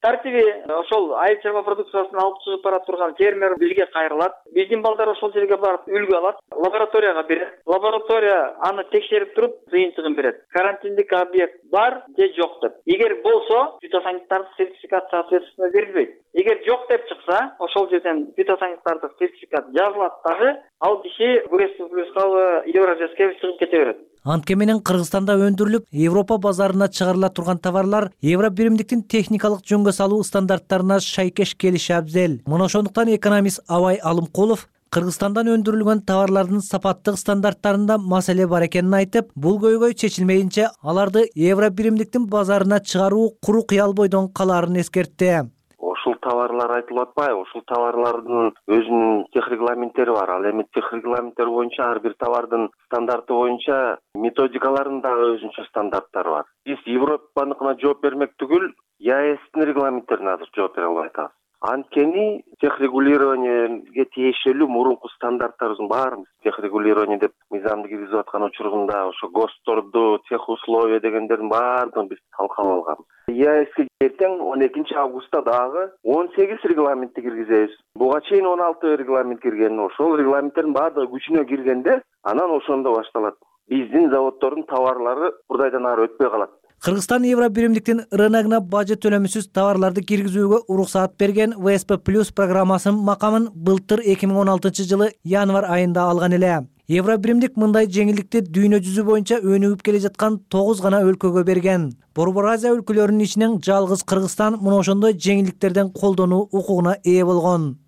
Тартиби ошол айыл чарба продукциясын алып чыгып бара турган фермер бизге кайрылат. Биздин балдар ошол жерге барып үлгү алат, лабораторияга берет. Лаборатория аны текшерип туруп, жыйынтыгын берет. Карантиндик объект бар же жок деп. Эгер болсо, фитосанитардык сертификация соответственно берилбейт. Эгер жок деп чыкса, ошол жерден фитосанитардык сертификат жазылат дагы, ал киши вэ эс пэ плюска Евразеске чыгып кете берет. Антке менен Кыргызстанда өндүрүлүп, Европа базарына чыгарыла турган товарлар евро биримдиктин техникалык жөнгө салуу стандарттарына шайкеш келиши абзел. Мына ошондуктан экономист Абай Алымкулов Кыргызстандан өндүрүлгөн товарлардын сапаттык стандарттарында маселе бар экенин айтып, бул көйгөй чечилмейинче аларды евро биримдиктин базарына чыгаруу куру кыял бойдон калаарын эскертти. Ушул товарлар айтылып атпайбы? Ушул товарлардын өзүнүн техрегламенттери бар. Ал эми техрегламенттер боюнча ар бир товардын стандарты боюнча методикаларынын дагы өзүнчө стандарттары бар. Биз Европаныкына жооп бермек түгүл, ЕАЭстин регламенттерине азыр жооп бере албай атабыз. Анткени техрегулированиеге тиешелүү мурунку стандарттарыбыздын баарын техрегулирование деп мыйзамды киргизип аткан учурунда ошо ГОСТторду, техусловия дегендердин баарын биз талкалап алганбыз. ЕАЭске эртең он экинчи августта дагы он сегиз регламентти киргизебиз. Буга чейин он алты регламент кирген. Ошол регламенттердин баардыгы күчүнө киргенде, анан ошондо башталат. Биздин заводдордун товарлары бурдайдан ары өтпөй калат. Кыргызстан евро биримдиктин рыногуна бажы төлөмүсүз товарларды киргизүүгө уруксаат берген вэ эс пэ плюс программасынын макамын былтыр эки миң он алтынчы жылы январь айында алган эле. Евро биримдик мындай жеңилдикти дүйнө жүзү боюнча өнүгүп келе жаткан тогуз гана өлкөгө берген. Борбор Азия өлкөлөрүнүн ичинен жалгыз Кыргызстан мына ошондой жеңилдиктерден колдонуу укугуна ээ болгон.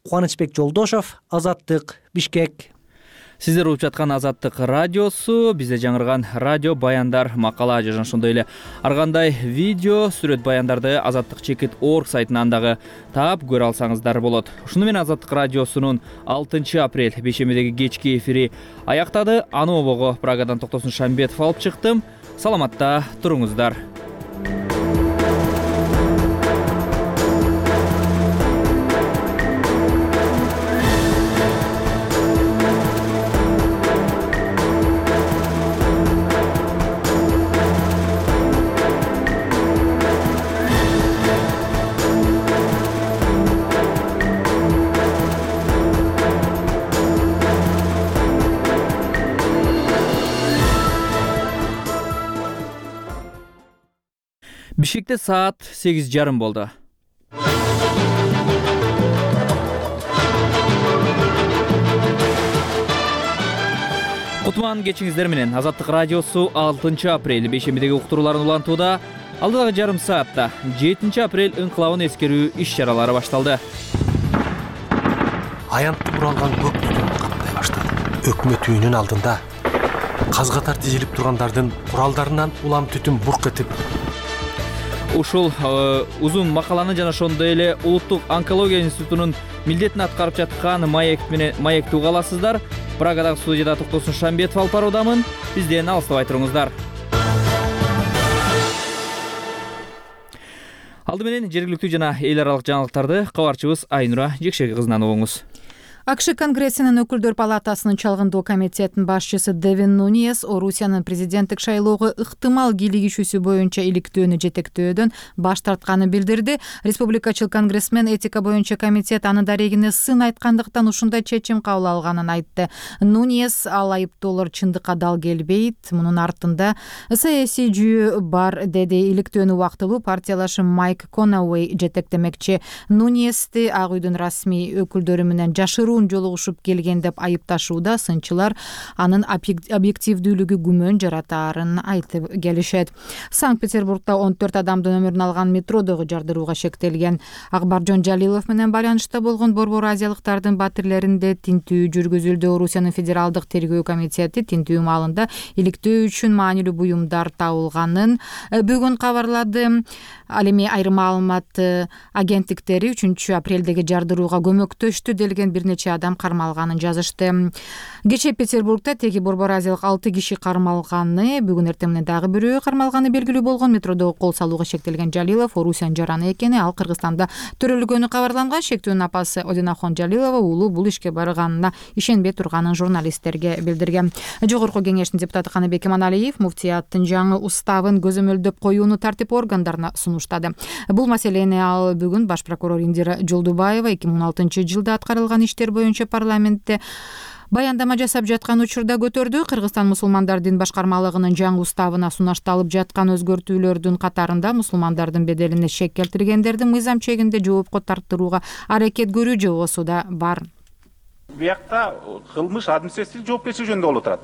Кубанычбек Жолдошев, Азаттык, Бишкек. Сиздер угуп жаткан Азаттык радиосу, бизде жаңырган радио баяндар, макала жана ошондой эле ар кандай видео, сүрөт баяндарды азаттык чекит орг сайтынан дагы таап көрө алсаңыздар болот. Ушуну менен Азаттык радиосунун алтынчы апрель бейшембидеги кечки эфири аяктады. Аны обого Прагадан Токтосун Шамбетов алып чыктым. Саламатта туруңуздар. Бишкекте саат сегиз жарым болду. Кутман кечиңиздер менен Азаттык радиосу алтынчы апрель бейшембидеги уктурууларын улантууда. Алдыдагы жарым саатта жетинчи апрель инкылабын эскерүү иш-чаралары башталды. Аянтты буралган көк түтүн каптай баштады. Өкмөт үйүнүн алдында каз катар тизилип тургандардын куралдарынан улам түтүн бурк этип. Ушул узун макаланы жана ошондой эле Улуттук онкология институтунун милдетин аткарып жаткан маек менен маекти уга аласыздар. Прагадагы студияда Токтосун Шамбетов алып баруудамын. Бизден алыстабай туруңуздар. Алды менен жергиликтүү жана эл аралык жаңылыктарды кабарчыбыз Айнура Жекшеги кызынан угуңуз. АКШ Конгрессинин өкүлдөр палатасынын чалгындоо комитетинин башчысы Девин Нуньес Орусиянын президенттик шайлоого ыктымал кийлигишүүсү боюнча иликтөөнү жетектөөдөн баш тартканын билдирди. Республикачыл конгрессмен этика боюнча комитет анын дарегине сын айткандыктан ушундай чечим кабыл алганын айтты. Нуньес ал айыптоолор чындыкка дал келбейт, мунун артында саясий жүйө бар деди. Иликтөөнү убактылуу партиялашы Майк Конауэй жетектемекчи. Нуньести Ак үйдүн расмий өкүлдөрү менен жашыруу жолугушуп келген деп айыпташууда. Сынчылар анын объективдүүлүгү күмөн жаратаарын айтып келишет. Санкт-Петербургда он төрт адамдын өмүрүн алган метродогу жардырууга шектелген. Акбаржон Жалилов менен байланышта болгон Борбор азиялыктардын батирлеринде тинтүү жүргүзүлдү. Орусиянын федералдык тергөө комитети тинтүү маалында иликтөө үчүн маанилүү буюмдар табылганын бүгүн кабарлады. Ал эми айрым маалымат агенттиктери үчүнчү апрелдеги жардырууга көмөктөштү делген бир нече адам кармалганын жазышты. Кечээ Петербургда теги Борбор азиялык алты киши кармалганы, бүгүн эртең менен дагы бирөө кармалганы белгилүү болгон. Метродо кол салууга шектелген Жалилов Орусиянын жараны экени, ал Кыргызстанда төрөлгөнү кабарланган. Шектүүнүн апасы Одинахон Жалилова уулу бул ишке барганына ишенбей турганын журналисттерге билдирген. Жогорку кеңештин депутаты Каныбек Иманалиев муфтияттын жаңы уставын көзөмөлдөп коюуну тартип органдарына сунуштады. Бул маселени ал бүгүн баш прокурор Индира Жолдубаева эки миң он алтынчы жылда аткарылган иштер боюнча парламентте баяндама жасап жаткан учурда көтөрдү. Кыргызстан мусулмандар дин башкармалыгынын жаңы уставына сунушталып жаткан өзгөртүүлөрдүн катарында мусулмандардын беделине шек келтиргендерди мыйзам чегинде жоопко тартууга аракет көрүү жобосу да бар. Биякта кылмыш административдик жоопкерчилик жөнүндө болуп турат.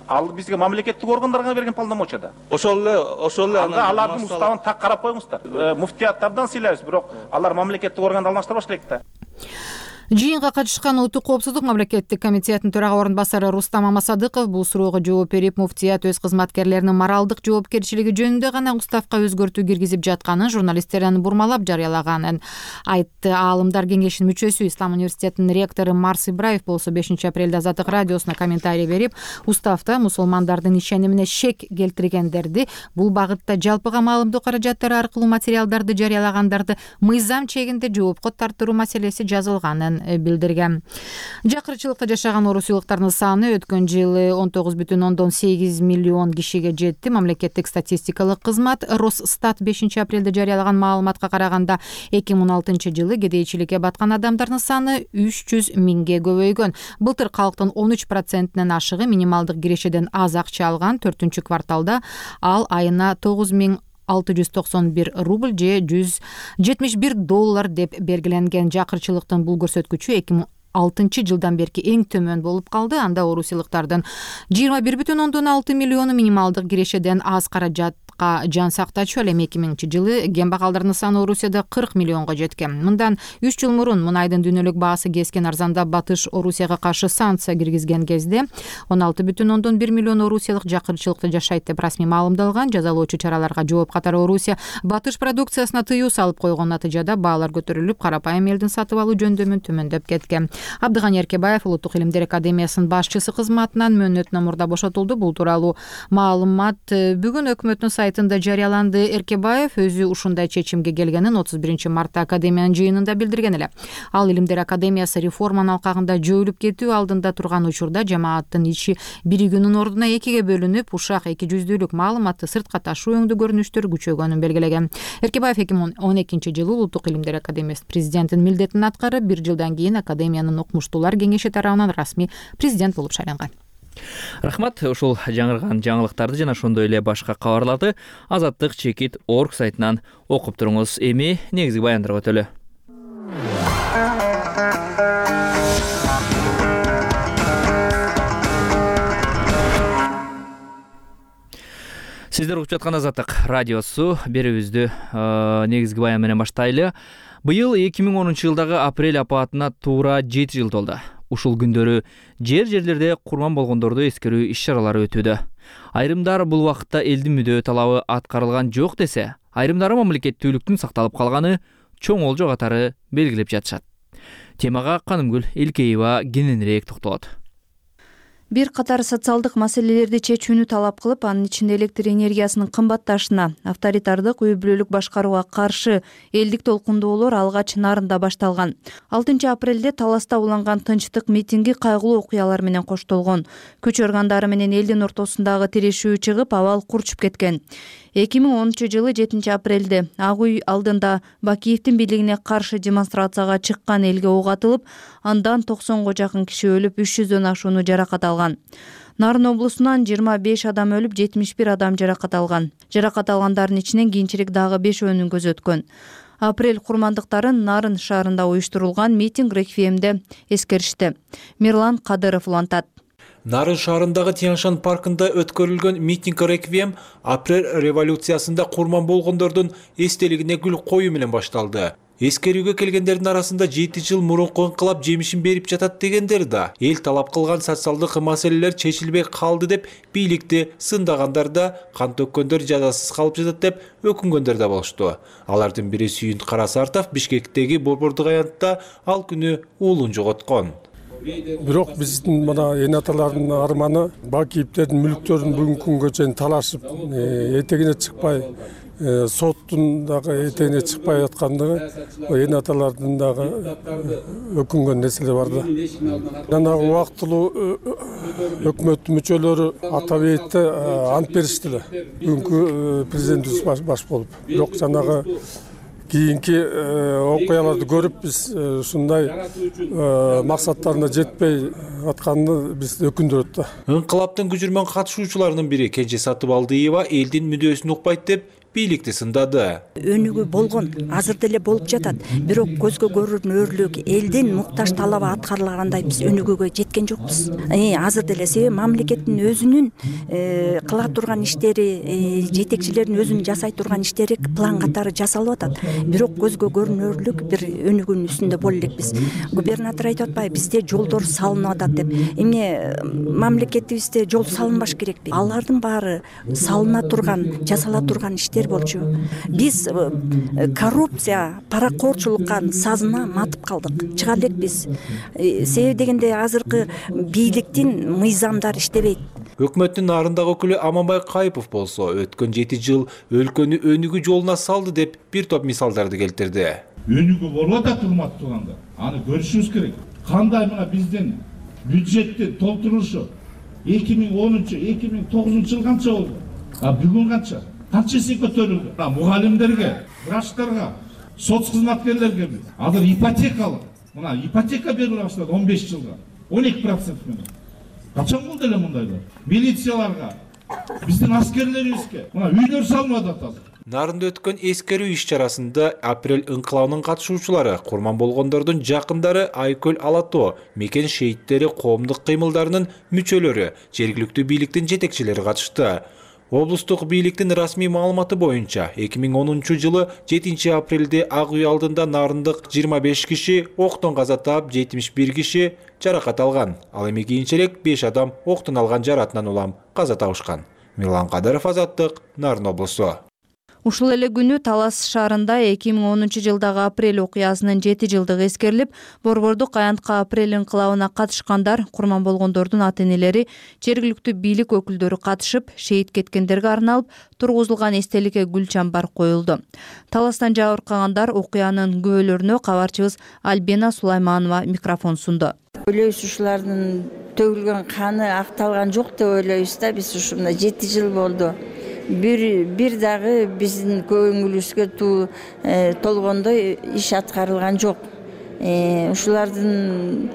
Ал бизге мамлекеттик органдарга берген полномочияда. Ошол эле, ошол эле анда алардын уставын так карап коюңуздар. Муфтияттардан сыйлайбыз, бирок алар мамлекеттик органды алмаштырбаш элек да. Жыйынга катышкан Улуттук коопсуздук мамлекеттик комитетинин төрага орун басары Рустам Амасадыков бул суроого жооп берип, муфтият өз кызматкерлеринин моралдык жоопкерчилиги жөнүндө гана уставка өзгөртүү киргизип жатканын, журналисттердин бурмалап жарыялаганын айтты. Аалымдар кеңешинин мүчөсү, Ислам университетинин ректору Марс Ибраев болсо бешинчи апрелде Азаттык радиосуна комментарий берип, уставда мусулмандардын ишенимине шек келтиргендерди, бул багытта жалпыга маалымдоо каражаттары аркылуу материалдарды жарыялагандарды мыйзам чегинде жоопко тартыруу маселеси жазылганын билдирген. Жакырчылыкта жашаган орусийлыктардын саны өткөн жылы он тогуз бүтүн ондон сегиз миллион кишиге жетти. Мамлекеттик статистикалык кызмат Росстат бешинчи апрелде жарыялаган маалыматка караганда эки миң он алтынчы жылы кедейчиликке баткан адамдардын саны үч жүз миңге көбөйгөн. Былтыр калктын он үч процентинен ашыгы минималдык кирешеден аз акча алган. Төртүнчү кварталда ал айына тогуз миң алты жүз токсон бир рубль же жүз жетимиш бир доллар деп белгиленген. Жакырчылыктын бул көрсөткүчү эки миң алтынчы жылдан берки эң төмөн болуп калды. Анда орусийлыктардын жыйырма бир бүтүн ондон алты миллиону минималдык кирешеден аз каражат маалыматка жан сактачу. Ал эми эки миңинчи жылы кембагалдардын саны Орусияда кырк миллионго жеткен. Мындан үч жыл мурун мунайдын дүйнөлүк баасы кескен арзандап Батыш Орусияга каршы санкция киргизген кезде он алты бүтүн ондон бир миллион орусиялык жакырчылыкта жашайт деп расмий маалымдалган. Жазалоочу чараларга жооп катары Орусия Батыш продукциясына тыюу салып койгон. Натыйжада баалар көтөрүлүп, карапайым элдин сатып алуу жөндөмүн төмөндөп кеткен. Абдыган Эркебаев Улуттук илимдер академиясынын башчысы кызматынан мөөнөтүнөн мурда бошотулду. Бул тууралуу маалымат бүгүн өкмөттүн сайтында жарыяланды. Эркебаев өзү ушундай чечимге келгенин отуз биринчи мартта академиянын жыйынында билдирген эле. Ал илимдер академиясы реформанын алкагында жойулуп кетүү алдында турган учурда жамааттын ичи биригүүнүн ордуна экиге бөлүнүп, ушак эки жүздүүлүк маалыматты сыртка ташуу өңдүү көрүнүштөр күчөгөнүн белгилеген. Эркебаев эки миң он экинчи жылы Улуттук илимдер академиясы президентинин милдетин аткарып, бир жылдан кийин академиянын укмуштуулар кеңеши тарабынан расмий президент болуп шайланган. Рахмат. Ушул жаңырган жаңылыктарды жана ошондой эле башка кабарларды азаттык чекит орг сайтынан окуп туруңуз. Эми негизги баяндарга өтөлү. Сиздер угуп жаткан Азаттык радиосу. Берүүбүздү негизги баян менен баштайлы. Быйыл эки миң онунчу жылдагы апрель апаатына туура жети жыл толду. Ушул күндөрү жер жерлерде курман болгондорду эскерүү иш-чаралары өтүүдө. Айрымдар бул убакытта элдин мүдөө талабы аткарылган жок десе, айрымдары мамлекеттүүлүктүн сакталып калганы чоң олжо катары белгилеп жатышат. Темага Канымгүл Элкеева кененирээк токтолот. Бир катар социалдык маселелерди чечүүнү талап кылып, анын ичинде электр энергиясынын кымбатташына, авторитардык үй бүлөлүк башкарууга каршы элдик толкундоолор алгач Нарында башталган. алтынчы апрелде Таласта уланган тынчтык митинги кайгылуу окуялар менен коштолгон. Күч органдары менен элдин ортосундагы тирешүү чыгып, абал курчуп кеткен. эки миң онунчу жылы жетинчи апрелде Ак үй алдында Бакиевдин бийлигине каршы демонстрацияга чыккан элге ок атылып, андан токсонго жакын киши өлүп, үч жүздөн ашууну жаракат алган. Нарын облусунан жыйырма беш адам өлүп, жетимиш бир адам жаракат алган. Жаракат алгандардын ичинен кийинчерээк дагы бешөөнүн көзү өткөн. Апрель курмандыктарын Нарын шаарында уюштурулган митинг реквиемде эскеришти. Мирлан Кадыров улантат. Нарын шаарындагы Тяньшан паркында өткөрүлгөн митинг реквием апрель революциясында курман болгондордун эстелигине гүл коюу менен башталды. Эскерүүгө келгендердин арасында жети жыл мурунку инкылап жемишин берип жатат дегендер да, эл талап кылган социалдык маселелер чечилбей калды деп бийликти сындагандар да, кан төккөндөр жазасыз калып жатат деп өкүнгөндөр да болушту. Алардын бири Сүйүнт Карасартов Бишкектеги борбордук аянтта ал күнү уулун жоготкон. Бирок биздин мына эне аталардын арманы Бакиевдердин мүлктөрүн бүгүнкү күнгө чейин талашып, этегине чыкпай, соттун дагы этегине чыкпай жаткандыгы эне аталардын дагы өкүнгөн нерселер бар да. Жана убактылуу өкмөттүн мүчөлөрү ата бейитте ант беришти эле. Бүгүнкү президентибиз баш болуп. Бирок жанагы кийинки окуяларды көрүп биз ушундай максаттарына жетпей атканды биз өкүндүрөт да. Инкылаптын күжүрмөн катышуучуларынын бири Кенже Сатыбалдыева элдин мүдөөсүн укпайт деп бийликти сындады. Өнүгүү болгон, азыр деле болуп жатат. Бирок көзгө көрүнөрлүк элдин муктаж талабы аткарылгандай биз өнүгүүгө жеткен жокпуз. Азыр деле себеби мамлекеттин өзүнүн кыла турган иштери, жетекчилердин өзүнүн жасай турган иштери план катары жасалып атат. Бирок көзгө көрүнөрлүк бир өнүгүүнүн үстүндө боло элекпиз. Губернатор айтып атпайбы, бизде жолдор салынып атат деп. Эмне мамлекетибизде жол салынбаш керекпи? Алардын баары салына турган, жасала турган иштер болчу. Биз коррупция, паракорчулукка сазына матып калдык. Чыга элекпиз. Себеби дегенде азыркы бийликтин мыйзамдары иштебейт. Өкмөттүн Нарындагы өкүлү Аманбай Кайыпов болсо, өткөн жети жыл өлкөнү өнүгүү жолуна салды деп бир топ мисалдарды келтирди. Өнүгүү болуп атат, урматтуу туугандар. Аны көрүшүбүз керек. Кандай мына биздин бюджеттин толтурулушу эки миң онунчу, эки миң тогузунчу жыл канча болду? А бүгүн канча? Канча эсе көтөрүлдү? Мугалимдерге, врачтарга, соц кызматкерлерге азыр ипотекалык, мына ипотека бериле баштады он беш жылга, он эки процент менен. Качан болду эле мындайлар? Милицияларга, биздин аскерлерибизге мына үйлөр салынып атат азыр. Нарында өткөн эскерүү иш-чарасында апрель инкылабынын катышуучулары, курман болгондордун жакындары, Айкөл Алато, мекен шейиттери коомдук кыймылдарынын мүчөлөрү, жергиликтүү бийликтин жетекчилери катышты. Облустук бийликтин расмий маалыматы боюнча эки миң онунчу жылы жетинчи апрелде Ак үй алдында нарындык жыйырма беш киши октон каза таап, жетимиш бир киши жаракат алган. Ал эми кийинчерээк беш адам октон алган жаратынан улам каза табышкан. Мирлан Кадыров, Азаттык, Нарын облусу. Ушул эле күнү Талас шаарында эки миң онунчу жылдагы апрель окуясынын жети жылдыгы эскерилип, Борбордук аянтка апрель инкылабына катышкандар, курман болгондордун ата-энелери, жергиликтүү бийлик өкүлдөрү катышып, шейит кеткендерге арналып тургузулган эстеликке гүл чамбар коюлду. Таластан жабыркагандар окуянын күбөлөрүнө кабарчыбыз Альбина Сулайманова микрофон сунду. Ойлойбуз, ушулардын төгүлгөн каны акталган жок деп ойлойбуз да. Биз ушунда жети жыл болду. Бир бир дагы биздин көңүлүбүзгө туу толгондой иш аткарылган жок. Ушулардын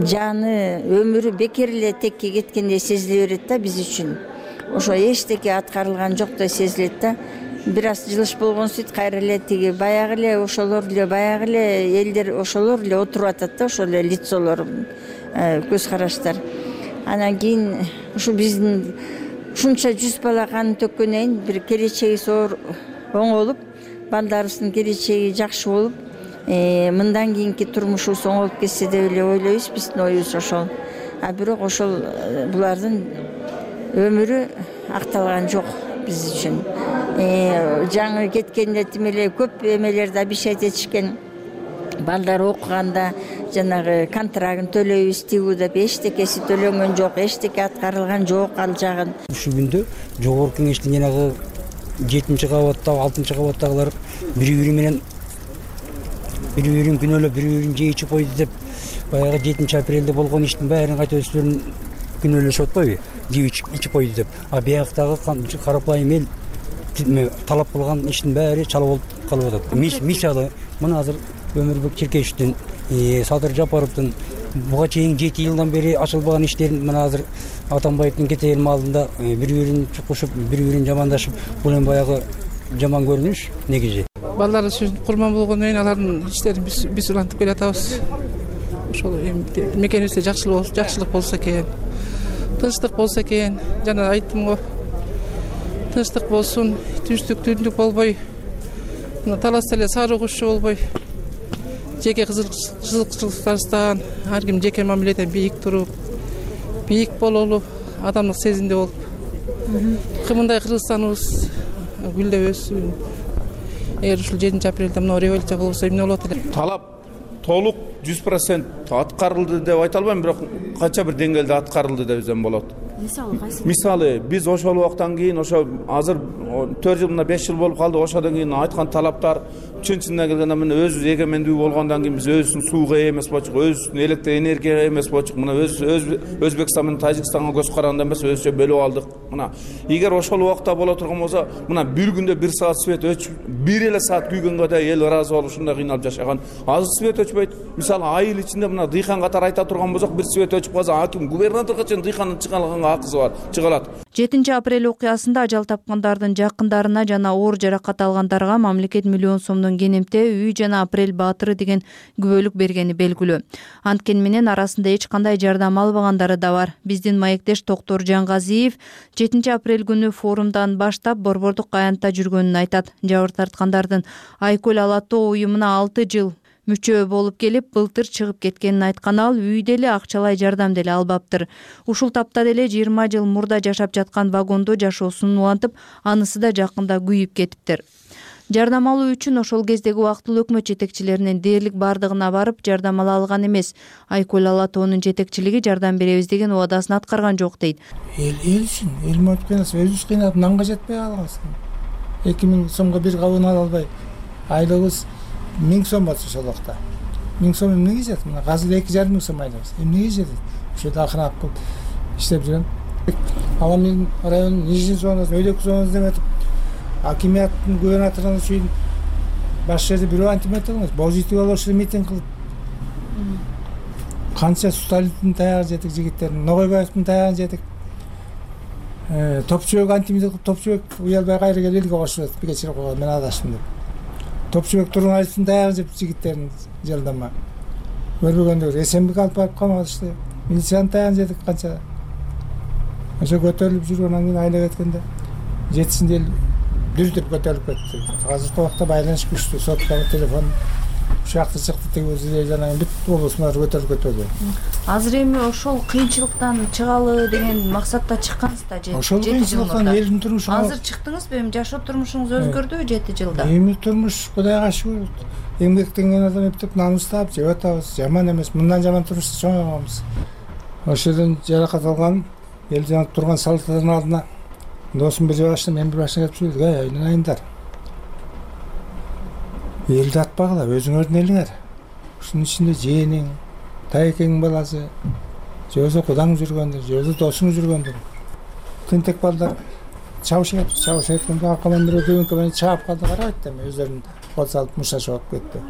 жаны, өмүрү бекер эле текке кеткендей сезиле берет да биз үчүн. Ошо эчтеке аткарылган жоктой сезилет да. Бир аз жылыш болгон сөйт кайра эле тиги баягы эле ошолор эле баягы эле элдер ошолор эле отуруп атат да, ошол эле лицолор, көз караштар. Анан кийин ушу биздин ушунча жүз бала каны төккөндөн бир келечеги зор оңолуп, балдарыбыздын келечеги жакшы болуп, мындан кийинки турмушубуз оңолуп кетсе деп эле ойлойбуз, биздин оюбуз ошол. А бирок ошол булардын өмүрү акталган жок биз үчүн. Жаңы кеткенде тим эле көп эмелерди обещать этишкен. Балдар окуганда жанагы контрагын төлөйбүз тигүү деп эчтекеси төлөнгөн жок, эчтеке аткарылган жок ал жагын. Ушул күндө жогорку кеңештин жанагы жетинчи кабаттагы, алтынчы кабаттагылар бири-бири менен бири-бирин күнөөлөп, бири-бирин жейичип койду деп баягы жетинчи апрелде болгон иштин баарын кайта өздөрүн күнөөлөшүп атпайбы? Жеп ичип койду деп. А бияктагы карапайым эл талап кылган иштин баары чала болуп калып атат. Мисалы, мына азыр Өмүрбек Черкешевдин, Садыр Жапаровдун буга чейин жети жылдан бери ачылбаган иштерин мына азыр Атамбаевдин кетеген маалында бири-бирин чукушуп, бири-бирин жамандашып, бул эми баягы жаман көрүнүш негизи. Балдар үчүн курман болгондон кийин алардын иштерин биз биз улантып келатабыз. Ошол эми мекенибизде жакшылык жакшылык болсо экен, тынчтык болсо экен, жана айттым го. Тынчтык болсун, түштүк түндүк болбой, мына таласта эле сары кушчу болбой, жеке кызыкчылыктарыбыздан ар ким жеке мамиледен бийик туруп, бийик бололу, адамдык сезимде болуп, кымындай Кыргызстаныбыз гүлдөп өссүн. Эгер ушул жетинчи апрелде мына революция болбосо эмне болот эле? Талап толук жүз процент аткарылды деп айта албайм, бирок канча бир деңгээлде аткарылды десем болот. Мисалы кайсы? Мисалы, биз ошол убактан кийин ошо азыр төрт жыл мына беш жыл болуп калды, ошодон кийин айткан талаптар чын-чынына келгенде мына өз эгемендүү болгондон кийин биз өзүбүздүн сууга ээ эмес болчук, өзүбүздүн электр энергияга эмес болчук. Мына өз Өзбекстан менен Тажикстанга көз караганда эмес, өзүчө бөлүп алдык. Мына эгер ошол убакта боло турган болсо, мына бир күндө бир саат свет өчүп, бир эле саат күйгөнгө да эл ыраазы болуп ушундай кыйналып жашаган. Азыр свет өчпөйт. Мисалы, айыл ичинде мына дыйкан катары айта турган болсок, бир свет өчүп калса, аким губернаторго чейин дыйкандын чыгаганга акысы бар, чыгалат. жетинчи апрель окуясында ажал тапкандардын жакындарына жана оор жаракат алгандарга мамлекет миллион сомдон кенемте үй жана Апрель баатыры деген күбөлүк бергени белгилүү. Анткени менен арасында эч кандай жардам албагандары да бар. Биздин маектеш Токтор Жангазиев жетинчи апрель күнү форумдан баштап Борбордук аянтта жүргөнүн айтат. Жабыр тарткандардын Айкөл ала тоо уюмуна алты жыл мүчө болуп келип, былтыр чыгып кеткенин айткан ал, үйдө эле акчалай жардам деле албаптыр. Ушул тапта деле жыйырма жыл мурда жашап жаткан вагондо жашоосун улантып, анысы да жакында күйүп кетиптир. Жардам алуу үчүн ошол кездеги убактылуу өкмөт жетекчилеринин дээрлик бардыгына барып жардам ала алган эмес. Айкөл ала тоонун жетекчилиги жардам беребиз деген убадасын аткарган жок дейт. Эл эл үчүн, эл мөткөнөс өзүбүз кыйнап нанга жетпей калганбыз. эки миң сомго бир кабын ала албай, айлыгыбыз миң сом болчу ошол убакта. миң сом эмнеге жетет? Мына азыр эки жарым миң сом айлабыз. Эмнеге жетет? Ошол акырап кылып иштеп жүрөм. Ала мен районун нижний зонасы, өйдөк зонасы деп атып, акимияттын губернаторунун чейин баш жерде бирөө антимат алган, позитив алышып митинг кылып. Канча Сталиндин таягы жетик жигиттер, Ногойбаевдин таягы жетик. Э, Топчубек антимит кылып, Топчубек уялбай кайра келип элге кошуп атып, кечирип койгон, мен адаштым деп. Топчубек Тургунайдын таягы жеп жигиттерин жалдама. Көрбөгөндөр эсенбик алып барып каматышты. Милициянын таягын жетик канча. ошо көтөрүлүп жүргөндөн кийин айнек эткенде жетисинде эл дүрдүп көтөрүлүп кетти. Азыркы убакта байланыш күчтүү, сотканы телефон ушакты чыкты, тиги жанагы бүт облустар көтөрүлүп кетти. Азыр эми ошол кыйынчылыктан чыгалы деген максатта чыккансыз да жети жыл. Ошол кыйынчылыктан элдин турмушу. Азыр чыктыңызбы? Эми жашоо турмушуңуз өзгөрдүбү жети жылда? Эми турмуш Кудайга шүгүр. Эмгектенген адам эптеп намыстап жеп атабыз. Жаман эмес. Мындан жаман турмушта чоңойгонбуз. Ошодон жаракат алган эл жанып турган салаттардын алдына досум бир башта, мен бир башта келип сүйлөдүк. Ай, айнаңдар. Элди атпагыла, өзүңөрдүн элиңер. Ушунун ичинде жээниң, тайекеңдин баласы, же болбосо кудаң жүргөндүр, же болбосо досуң жүргөндүр. Тентек балдар чабышат, чабышат эткенде аркадан бирөө көбүнкө менен чаап калды, карабайт да, өздөрүн кол салып мушташып алып кетти.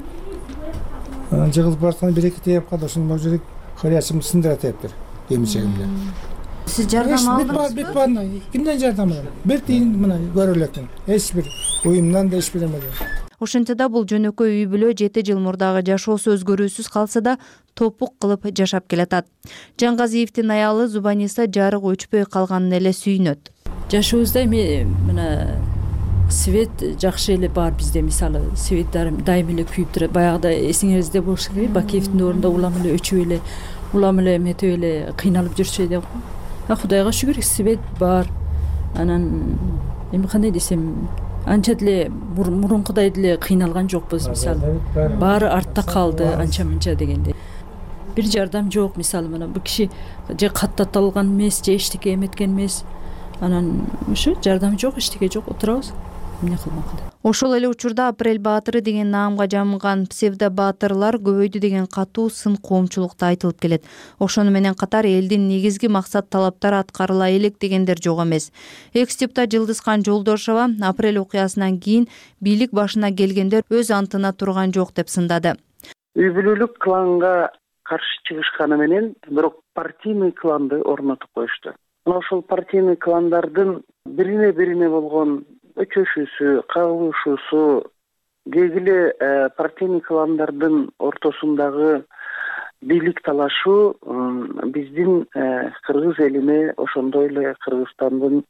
Анан жыгылып баратканда бир-эки тээп калды, ошондон могу хырячымды сындыра тептир, эмчегимди. Сиз жардам алдыңызбы? Бүт баарына, кимден жардам алам? Бир тиын мына көрө элекмин. Эч бир уюмдан да эч бир эмеден. Ошентсе да бул жөнөкөй үй бүлө жети жыл мурдагы жашоосу өзгөрүүсүз калса да топук кылып жашап келатат. Жангазиевдин аялы Зубаниса жарык өчпөй калганын эле сүйүнөт. Жашообузда эми мына свет жакшы эле бар бизде, мисалы свет дайым эле күйүп турат. Баягыда эсиңизде болуш керек, Бакиевдин ордунда улам эле өчүп эле, улам эле эметип эле кыйналып жүрчү эле. А Кудайга шүгүр, свет бар. Анан эми кандай десем, анча деле мурункудай деле кыйналган жокпуз, мисалы. Баары артта калды, анча-мынча дегенде. Бир жардам жок, мисалы мына бул киши же каттатылган эмес, же эчтеке эметкен эмес. Анан ушу жардам жок, эчтеке жок, отурабыз. Эмне кылмак? Ошол эле учурда Апрель баатыры деген наамга жамылган псевдобаатырлар көбөйдү деген катуу сын коомчулукта айтылып келет. Ошону менен катар элдин негизги максат талаптары аткарыла элек дегендер жок эмес. Экс-депутат Жылдызкан Жолдошова Апрель окуясынан кийин бийлик башына келгендер өз антына турган жок деп сындады. Үй бүлөлүк кланга каршы чыгышканы менен бирок партийный кланды орнотуп коюшту. Ошол партийный кландардын бирине бирине болгон өчөшүүсү, кагылышуусу, дегиле партийный кландардын ортосундагы бийлик талашу биздин кыргыз элине, ошондой эле Кыргызстандын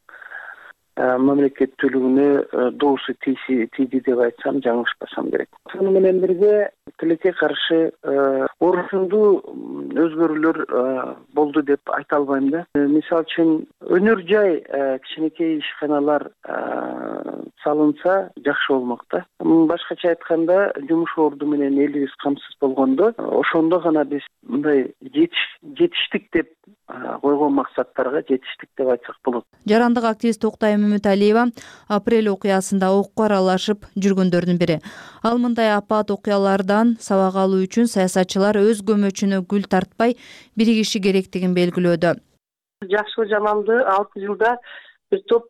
мамлекеттүүлүгүнө доосу тийди деп айтсам жаңылышпасам керек. Ошону менен бирге тилекке каршы орусундуу өзгөрүүлөр болду деп айта албайм да. Мисалы үчүн өнөр жай кичинекей ишканалар салынса жакшы болмок да. Башкача айтканда жумуш орду менен элибиз камсыз болгондо, ошондо гана биз мындай жетиштик деп койгон максаттарга жетиштик деп айтсак болот. Жарандык активист Октай Мөмөталиева Апрель окуясында окко аралашып жүргөндөрдүн бири. Ал мындай апат окуялардан сабак алуу үчүн саясатчылар өз көмөчүнө гүл тартпай биригиши керектигин белгилөөдө. Жакшы жаманды алты жылда бир топ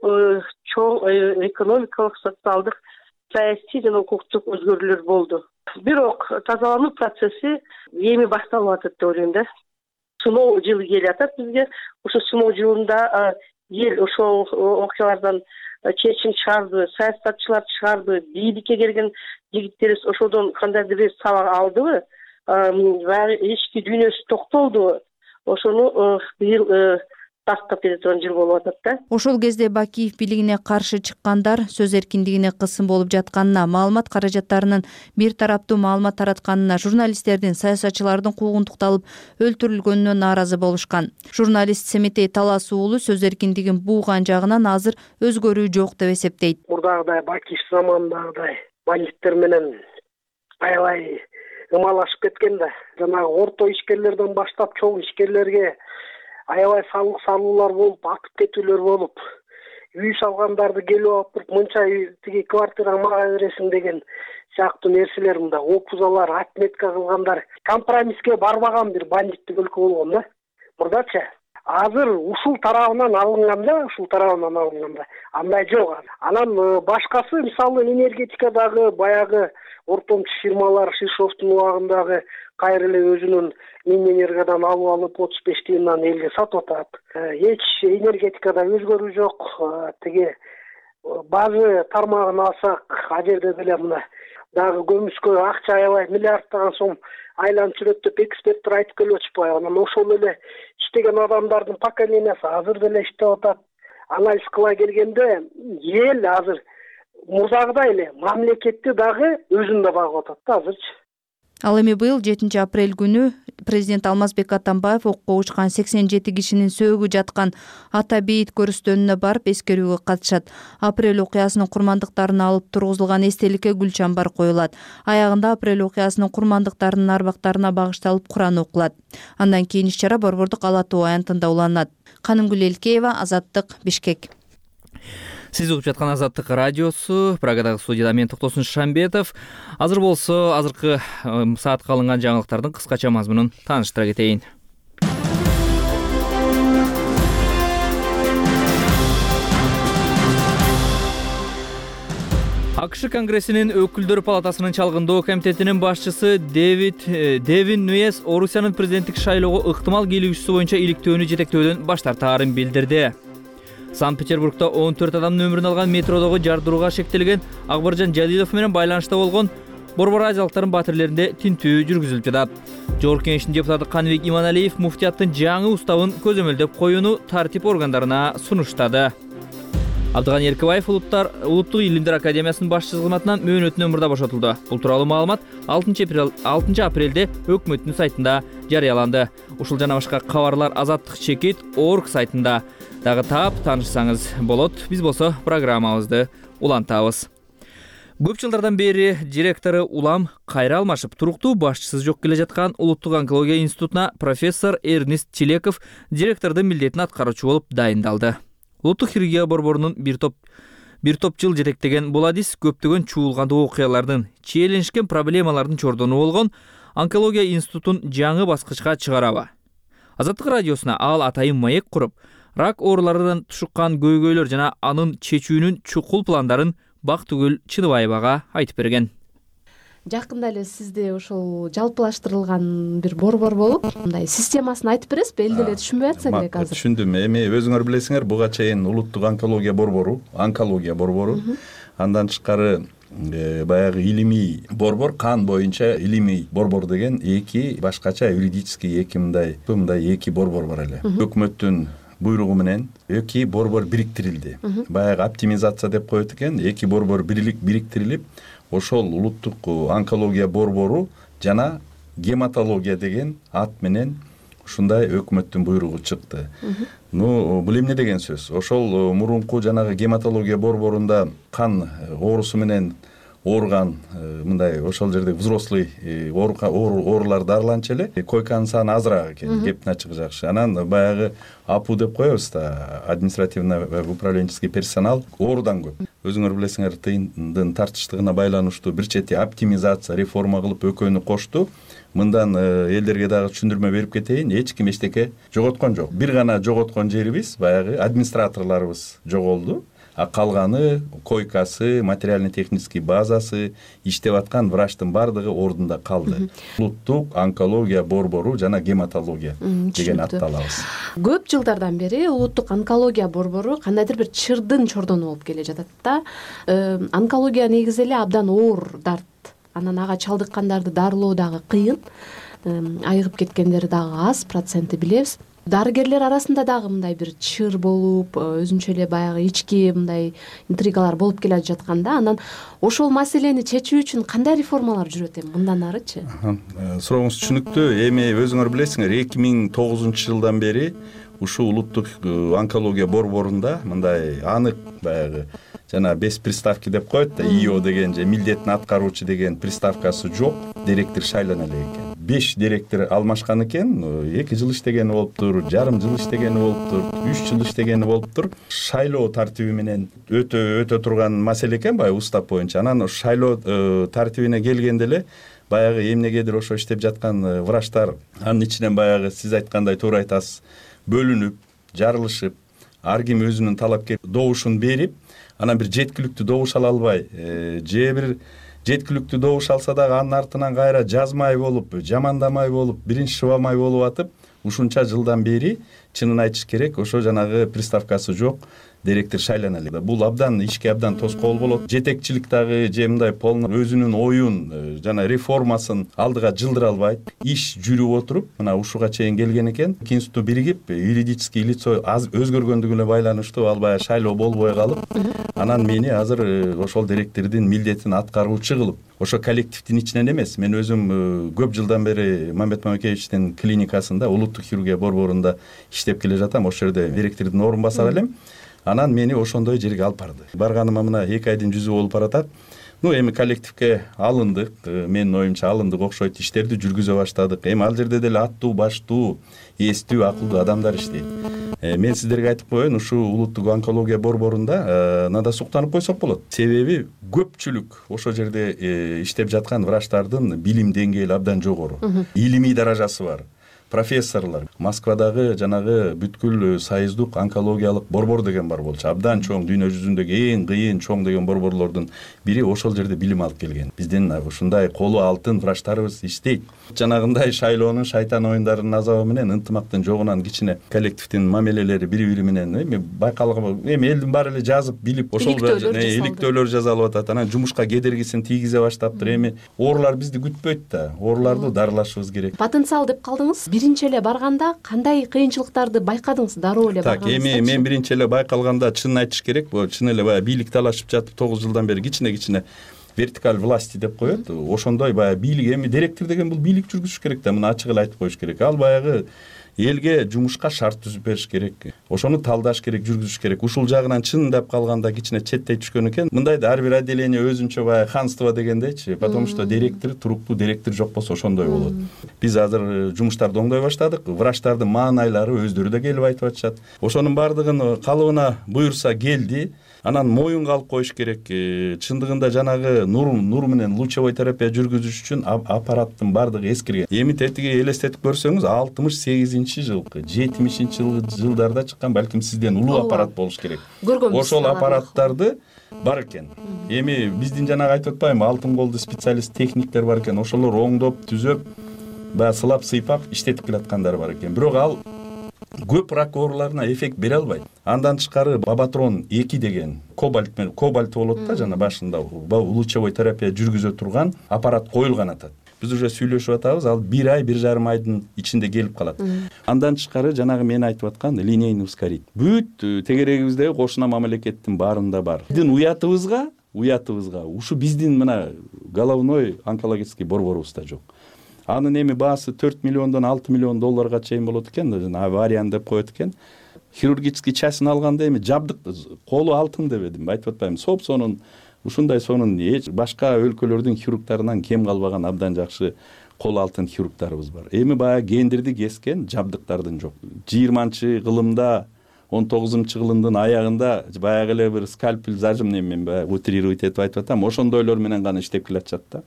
чоң экономикалык, социалдык, саясий жана укуктук өзгөрүүлөр болду. Бирок тазалануу процесси эми башталып атат деп ойлойм да. Сыноо жылы келип атат бизге. Ошо сыноо жылында эл ошол окуялардан чечим чыгарды, саясатчылар чыгарды, бийликке келген жигиттерибиз ошодон кандайдыр бир сабак алдыбы? Баягы ички дүйнөсү токтолду. Ошону быйыл тастап кете турган жыл болуп атат да. Ошол кезде Бакиев бийлигине каршы чыккандар сөз эркиндигине кысым болуп жатканына, маалымат каражаттарынын бир тараптуу маалымат таратканына, журналисттердин, саясатчылардын куугунтукталып өлтүрүлгөнүнө нааразы болушкан. Журналист Семетей Талас уулу сөз эркиндигин бууган жагынан азыр өзгөрүү жок деп эсептейт. Мурдагыдай Бакиев заманындагыдай бандиттер менен аябай ымалашып кеткен да. Жанагы орто ишкерлерден баштап чоң ишкерлерге аябай салык салуулар болуп, атып кетүүлөр болуп, үй салгандарды келип алып туруп, мынча тиги квартира мага бересиң деген сыяктуу нерселер, мында опузалар, отметка кылгандар, компромисске барбаган бир бандиттик өлкө болгон да. Мурдачы азыр ушул тарабынан алынганда, ушул тарабынан алынганда андай жок. Анан башкасы, мисалы энергетикадагы баягы ортомчу фирмалар Шишовдун убагындагы кайра эле өзүнүн Минэнергодан алып алып отуз беш тыйындан элге сатып атат. Эч энергетикада өзгөрүү жок. Тиги базы тармагын алсак, ал жерде деле мына дагы көмүскө акча аябай миллиардтаган сом айланып жүрөт деп эксперттер айтып келип атышпайбы? Анан ошол эле иштеген адамдардын поколениясы азыр деле иштеп атат. Анализ кыла келгенде эл азыр мурдагыдай эле мамлекетти дагы өзүндө багып атат да азырчы. Ал эми быйыл жетинчи апрель күнү президент Алмазбек Атамбаев окко учкан сексен жети кишинин сөөгү жаткан ата бейит көрүстөнүнө барып эскерүүгө катышат. Апрель окуясынын курмандыктарын алып тургузулган эстеликке гүл чамбар коюлат. Аягында апрель окуясынын курмандыктарынын арбактарына багышталып Куран окулат. Андан кийин иш-чара Борбордук Ала Тоо аянтында уланат. Канымгүл Элкеева, Азаттык, Бишкек. Сиз угуп жаткан Азаттык радиосу, Прагадагы студияда мен Токтосун Шамбетов. Азыр болсо азыркы саатка алынган жаңылыктардын кыскача мазмунун тааныштыра кетейин. АКШ Конгрессинин өкүлдөр палатасынын чалгындоо комитетинин башчысы Дэвид Девин Нуэс Орусиянын президенттик шайлоого ыктымал кийлигүүчүсү боюнча иликтөөнү жетектөөдөн баш тартаарын билдирди. Санкт-Петербургда он төрт адамдын өмүрүн алган метродогу жардырууга шектелген Акбаржан Жалилов менен байланышта болгон Борбор Азиялыктардын батирлеринде тинтүү жүргүзүлүп жатат. Жогорку Кеңештин депутаты Каныбек Иманалиев муфтияттын жаңы уставын көзөмөлдөп коюуну тартип органдарына сунуштады. Абдыган Эркебаев Улуттук илимдер академиясынын башчысы кызматынан мөөнөтүнөн мурда бошотулду. Бул тууралуу маалымат алтынчы апрелде өкмөттүн сайтында жарыяланды. Ушул жана башка кабарлар Азаттык чекит орг сайтында дагы таап таанышсаңыз болот. Биз болсо программабызды улантабыз. Көп жылдардан бери директору улам кайра алмашып, туруктуу башчысыз жок келе жаткан Улуттук онкология институтуна профессор Эрнест Чилеков директордун милдетин аткаруучу болуп дайындалды. Улуттук хирургия борборунун бир топ бир топ жыл жетектеген бул адис көптөгөн чуулгандуу окуялардын, чиеленишкен проблемалардын чордону болгон онкология институтун жаңы баскычка чыгараба. Азаттык радиосуна ал атайын маек куруп, рак ооруларынан тушуккан көйгөйлөр жана анын чечүүнүн чукул пландарын Бактыгүл Чыныбаевага айтып берген. Жакында эле сизде ошол жалпылаштырылган бир борбор болуп, мындай системасын айтып бересизби? Эл деле түшүнбөй атса керек азыр. Түшүндүм. Эми өзүңөр билесиңер, буга чейин Улуттук онкология борбору, онкология борбору, андан тышкары баягы илимий борбор, кан боюнча илимий борбор деген эки башкача юридический эки мындай мындай эки борбор бар эле. Өкмөттүн буйругу менен эки борбор бириктирилди. Баягы оптимизация деп коет экен, эки борбор бириктирилип, ошол Улуттук онкология борбору жана гематология деген ат менен ушундай өкмөттүн буйругу чыкты. Ну, бул эмне деген сөз? Ошол мурунку жанагы гематология борборунда кан оорусу менен ооруган мындай ошол жерде взрослый оорулар дарыланчу эле, койканын саны азыраак экен, кептин ачыгы жакшы. Анан баягы АПУ деп коебуз да, административно управленческий персонал оорудан көп. Өзүңөр билесиңер, тыйындын тартыштыгына байланыштуу бир чети оптимизация, реформа кылып экөөнү кошту. Мындан элдерге дагы түшүндүрмө берип кетейин, эч ким эчтеке жоготкон жок. Бир гана жоготкон жерибиз баягы администраторлорубуз жоголду. А калганы койкасы, материально-технический базасы, иштеп аткан врачтын бардыгы ордунда калды. Улуттук онкология борбору жана гематология деген атты алабыз. Көп жылдардан бери Улуттук онкология борбору кандайдыр бир чырдын чордону болуп келе жатат да. Онкология негизи эле абдан оор дарт. Анан ага чалдыккандарды дарылоо дагы кыйын. Айыгып кеткендери дагы аз, проценти билебиз. Дарыгерлер арасында дагы мындай бир чыр болуп, өзүнчө эле баягы ички мындай интригалар болуп келе жатканда, анан ошол маселени чечүү үчүн кандай реформалар жүрөт эми мындан арычы? Сурооңуз түшүнүктүү. Эми өзүңөр билесиңер, эки миң тогузунчу жылдан бери ушул Улуттук онкология борборунда мындай анык баягы жана бес приставки деп коет да, ИО деген же милдетин аткаруучу деген приставкасы жок, директор шайлана элек экен. беш директор алмашкан экен, эки жыл иштегени болуптур, жарым жыл иштегени болуптур, үч жыл иштегени болуптур. Шайлоо тартиби менен өтө өтө турган маселе экен баягы устав боюнча. Анан шайлоо тартибине келгенде эле баягы эмнегедир ошо иштеп жаткан врачтар анын ичинен баягы сиз айткандай туура айтасыз, бөлүнүп, жарылышып, ар ким өзүнүн талапкер добушун берип, анан бир жеткиликтүү добуш ала албай, же бир жеткиликтүү добуш алса дагы анын артынан кайра жазмай болуп, жамандамай болуп, биринчи шыбамай болуп атып, ушунча жылдан бери чынын айтыш керек, ошо жанагы приставкасы жок директор шайлана элек. Бул абдан ишке абдан тоскоол болот. Жетекчилик дагы же мындай полный өзүнүн оюн жана реформасын алдыга жылдыра албайт. Иш жүрүп отуруп мына ушуга чейин келген экен. Институту биригип юридический лицо аз өзгөргөндүгү менен байланыштуу ал баягы шайлоо болбой калып, анан мени азыр ошол директордун милдетин аткаруучу кылып, ошо коллективдин ичинен эмес, мен өзүм көп жылдан бери Мамбет Мамекеевичтин клиникасында, улуттук хирургия борборунда иштеп келе жатам. Ошол жерде директордун орун басары элем. Анан мени ошондой жерге алып барды. Барганыма мына эки айдын жүзү болуп баратат. Ну, эми коллективге алындык, менин оюмча алындык окшойт, иштерди жүргүзө баштадык. Эми ал жерде деле аттуу, баштуу, эстүү, акылдуу адамдар иштейт. Мен сиздерге айтып коеюн, ушу улуттук онкология борборунда надо суктанып койсок болот. Себеби көпчүлүк ошол жерде иштеп жаткан врачтардын билим деңгээли абдан жогору. Илимий даражасы бар. Профессорлор. Москвадагы жанагы бүткүл союздук онкологиялык борбор деген бар болчу. Абдан чоң, дүйнө жүзүндөгү эң кыйын чоң деген борборлордун бири ошол жерде билим алып келген. Биздин ушундай колу алтын врачтарыбыз иштейт. Жанагындай шайлоонун шайтан оюндарынын азабы менен ынтымактын жогунан кичине коллективдин мамилелери бири-бири менен эми байкалган, эми элдин баары эле жазып, билип, ошол иликтөөлөр жасалып атат. Анан жумушка кедергисин тийгизе баштаптыр. Эми оорулар бизди күтпөйт да. Ооруларды дарылашыбыз керек. Потенциал деп калдыңыз. Биринчи эле барганда кандай кыйынчылыктарды байкадыңыз? Дароо эле барганда. Так, эми мен биринчи эле байкалганда чынын айтыш керек, бул чын эле баягы бийлик талашып жатып тогуз жылдан бери кичине-кичине вертикаль власти деп коет. Ошондой баягы бийлик, эми директор деген бул бийлик жүргүзүш керек да, муну ачык эле айтып коюш керек. Ал баягы элге жумушка шарт түзүп бериш керек. Ошону талдаш керек, жүргүзүш керек. Ушул жагынан чындап калганда кичине четтей түшкөн экен. Мындай да ар бир отделение өзүнчө баягы ханство дегендейчи, потому что директор, туруктуу директор жок болсо ошондой болот. Биз азыр жумуштарды оңдой баштадык. Врачтардын маанайлары өздөрү да келип айтып атышат. Ошонун баардыгын калыбына буюрса келди. Анан моюнга алып коюш керек. Чындыгында жанагы нур нур менен лучевой терапия жүргүзүш үчүн аппараттын баардыгы эскирген. Эми тетиги элестетип көрсөңүз, алтымыш сегизинчи жылкы, жетимишинчи жылдарда чыккан, балким сизден улуу аппарат болуш керек. Ошол аппараттарды бар экен. Эми биздин жанагы айтып атпаймынбы, алтын колду специалист техниктер бар экен. Ошолор оңдоп, түзөп, баягы сылап, сыйпап иштетип келаткандар бар экен. Бирок ал көп рак ооруларына эффект бере албайт. Андан тышкары Бабатрон эки деген кобальт менен кобальт болот да, жана башында лучевой терапия жүргүзө турган аппарат коюлган атат. Биз уже сүйлөшүп атабыз, ал бир ай, бир жарым айдын ичинде келип калат. Андан тышкары жанагы мен айтып аткан линейный ускоритель. Бүт тегерегибиздеги кошуна мамлекеттин баарында бар. Биздин уятыбызга, уятыбызга ушу биздин мына головной онкологический борборубузда жок. Анын эми баасы төрт миллиондон алты миллион долларга чейин болот экен, авариян деп коет экен. Хирургический частын алганда эми жабдык колу алтын дебедим, айтып атпаймынбы. Соп-сонун ушундай сонун башка өлкөлөрдүн хирургтарынан кем калбаган абдан жакшы колу алтын хирургтарыбыз бар. Эми баягы гендирди кескен жабдыктардын жок. жыйырманчы кылымда, он тогузунчу кылымдын аягында баягы эле бир скальпель зажимный мен баягы утрировать этип айтып атам, ошондойлор менен гана иштеп келатышат да.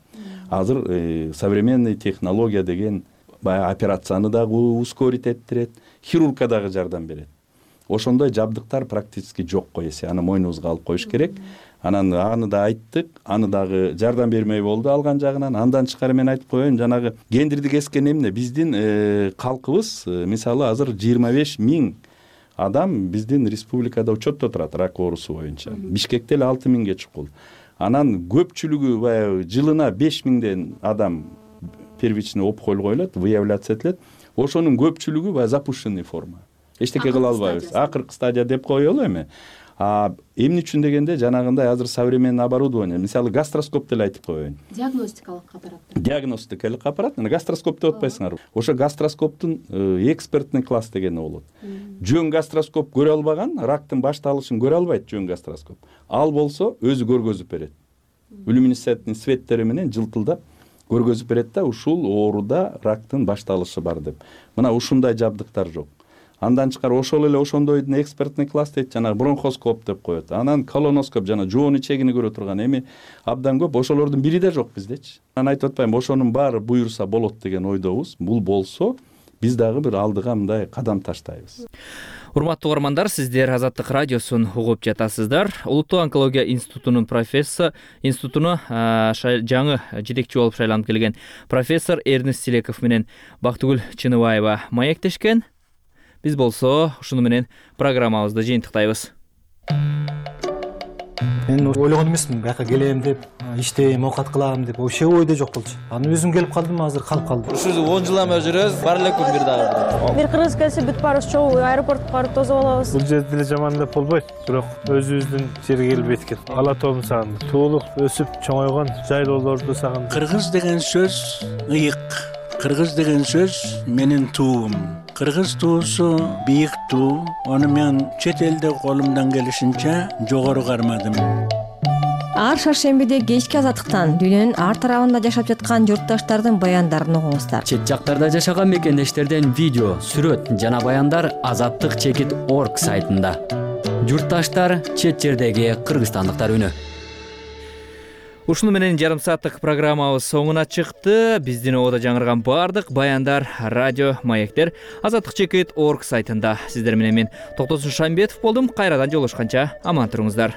Азыр э, современный технология деген баягы операцияны дагы ускорить эттирет, хирургка дагы жардам берет. Ошондой жабдыктар практически жок койеси, аны мойнубузга алып коюш керек. Анан аны да айттык, аны дагы жардам бермей болду алган жагынан. Андан тышкары мен айтып коеюн, жанагы гендирди кескен эмне биздин э, калкыбыз, э, мисалы азыр жыйырма беш миң адам биздин республикада учетто турат рак оорусу боюнча. Бишкекте эле алты миңге чукул. Анан көпчүлүгү баягы жылына беш миңден адам первичный опухоль коюлат, выявляться этилет. Ошонун көпчүлүгү баягы запущенный форма. Эчтеке кыла албайбыз. Акыркы стадия деп коелу эми. А эмне үчүн дегенде жанагындай азыр современный оборудование, мисалы гастроскоп деле айтып коеюн. Диагностикалык аппарат. Диагностикалык аппарат, мына гастроскоп деп атпайсыңарбы? Ошо гастроскоптун экспертный класс дегени болот. Жөн гастроскоп көрө албаган, рактын башталышын көрө албайт жөн гастроскоп. Ал болсо өзү көргөзүп берет. Люминесцентный светтери менен жылтылдап көргөзүп берет да, ушул ооруда рактын башталышы бар деп. Мына ушундай жабдыктар жок. Андан тышкары ошол эле ошондойдун экспертный класс дейт, жана бронхоскоп деп коет. Анан колоноскоп, жана жоон ичегини көрө турган эми абдан көп. Ошолордун бири да жок биздечи. Анан айтып атпаймынбы, ошонун баары буюрса болот деген ойдобуз. Бул болсо биз дагы бир алдыга мындай кадам таштайбыз. Урматтуу угармандар, сиздер Азаттык радиосун угуп жатасыздар. Улуттук онкология институтунун профессор, институтуна жаңы жетекчи болуп шайланып келген профессор Эрнест Силеков менен Бактыгүл Чыныбаева маектешкен. Биз болсо ушуну менен программабызды жыйынтыктайбыз. мен ойлогон эмесмин бияка келем деп, иштейм, оокат кылам деп, вообще ойдо жок болчу. Анан өзүм келип калдым, азыр калып калдым. Ушул он жыл эме жүрөбүз, бар элекпи бир дагы. Бир кыргыз келсе бүт баарыбыз чогуу аэропортко барып тосуп алабыз. Бул жерде деле жаман деп болбойт, бирок өзүбүздүн жерге келип эткен. Ала тоом сагындым. Туулук өсүп чоңойгон жайлоолорду сагындым. Кыргыз деген сөз ыйык. Кыргыз деген сөз менин туум. Кыргыз туусу бийик туу. Аны мен чет элде колумдан келишинче жогору кармадым. Ар шаршембиде кечки азаттыктан дүйнөнүн ар тарабында жашап жаткан журтташтардын баяндарын угуңуздар. Чет жактарда жашаган мекендештерден видео, сүрөт жана баяндар азаттык чекит орг сайтында. Журтташтар, чет жердеги кыргызстандыктар үнү. Ушуну менен жарым сааттык программабыз соңуна чыкты. Биздин ободо жаңырган баардык баяндар, радио, маектер азаттык чекит орг сайтында. Сиздер менен мен Токтосун Шамбетов болдум. Кайрадан жолугушканча аман туруңуздар.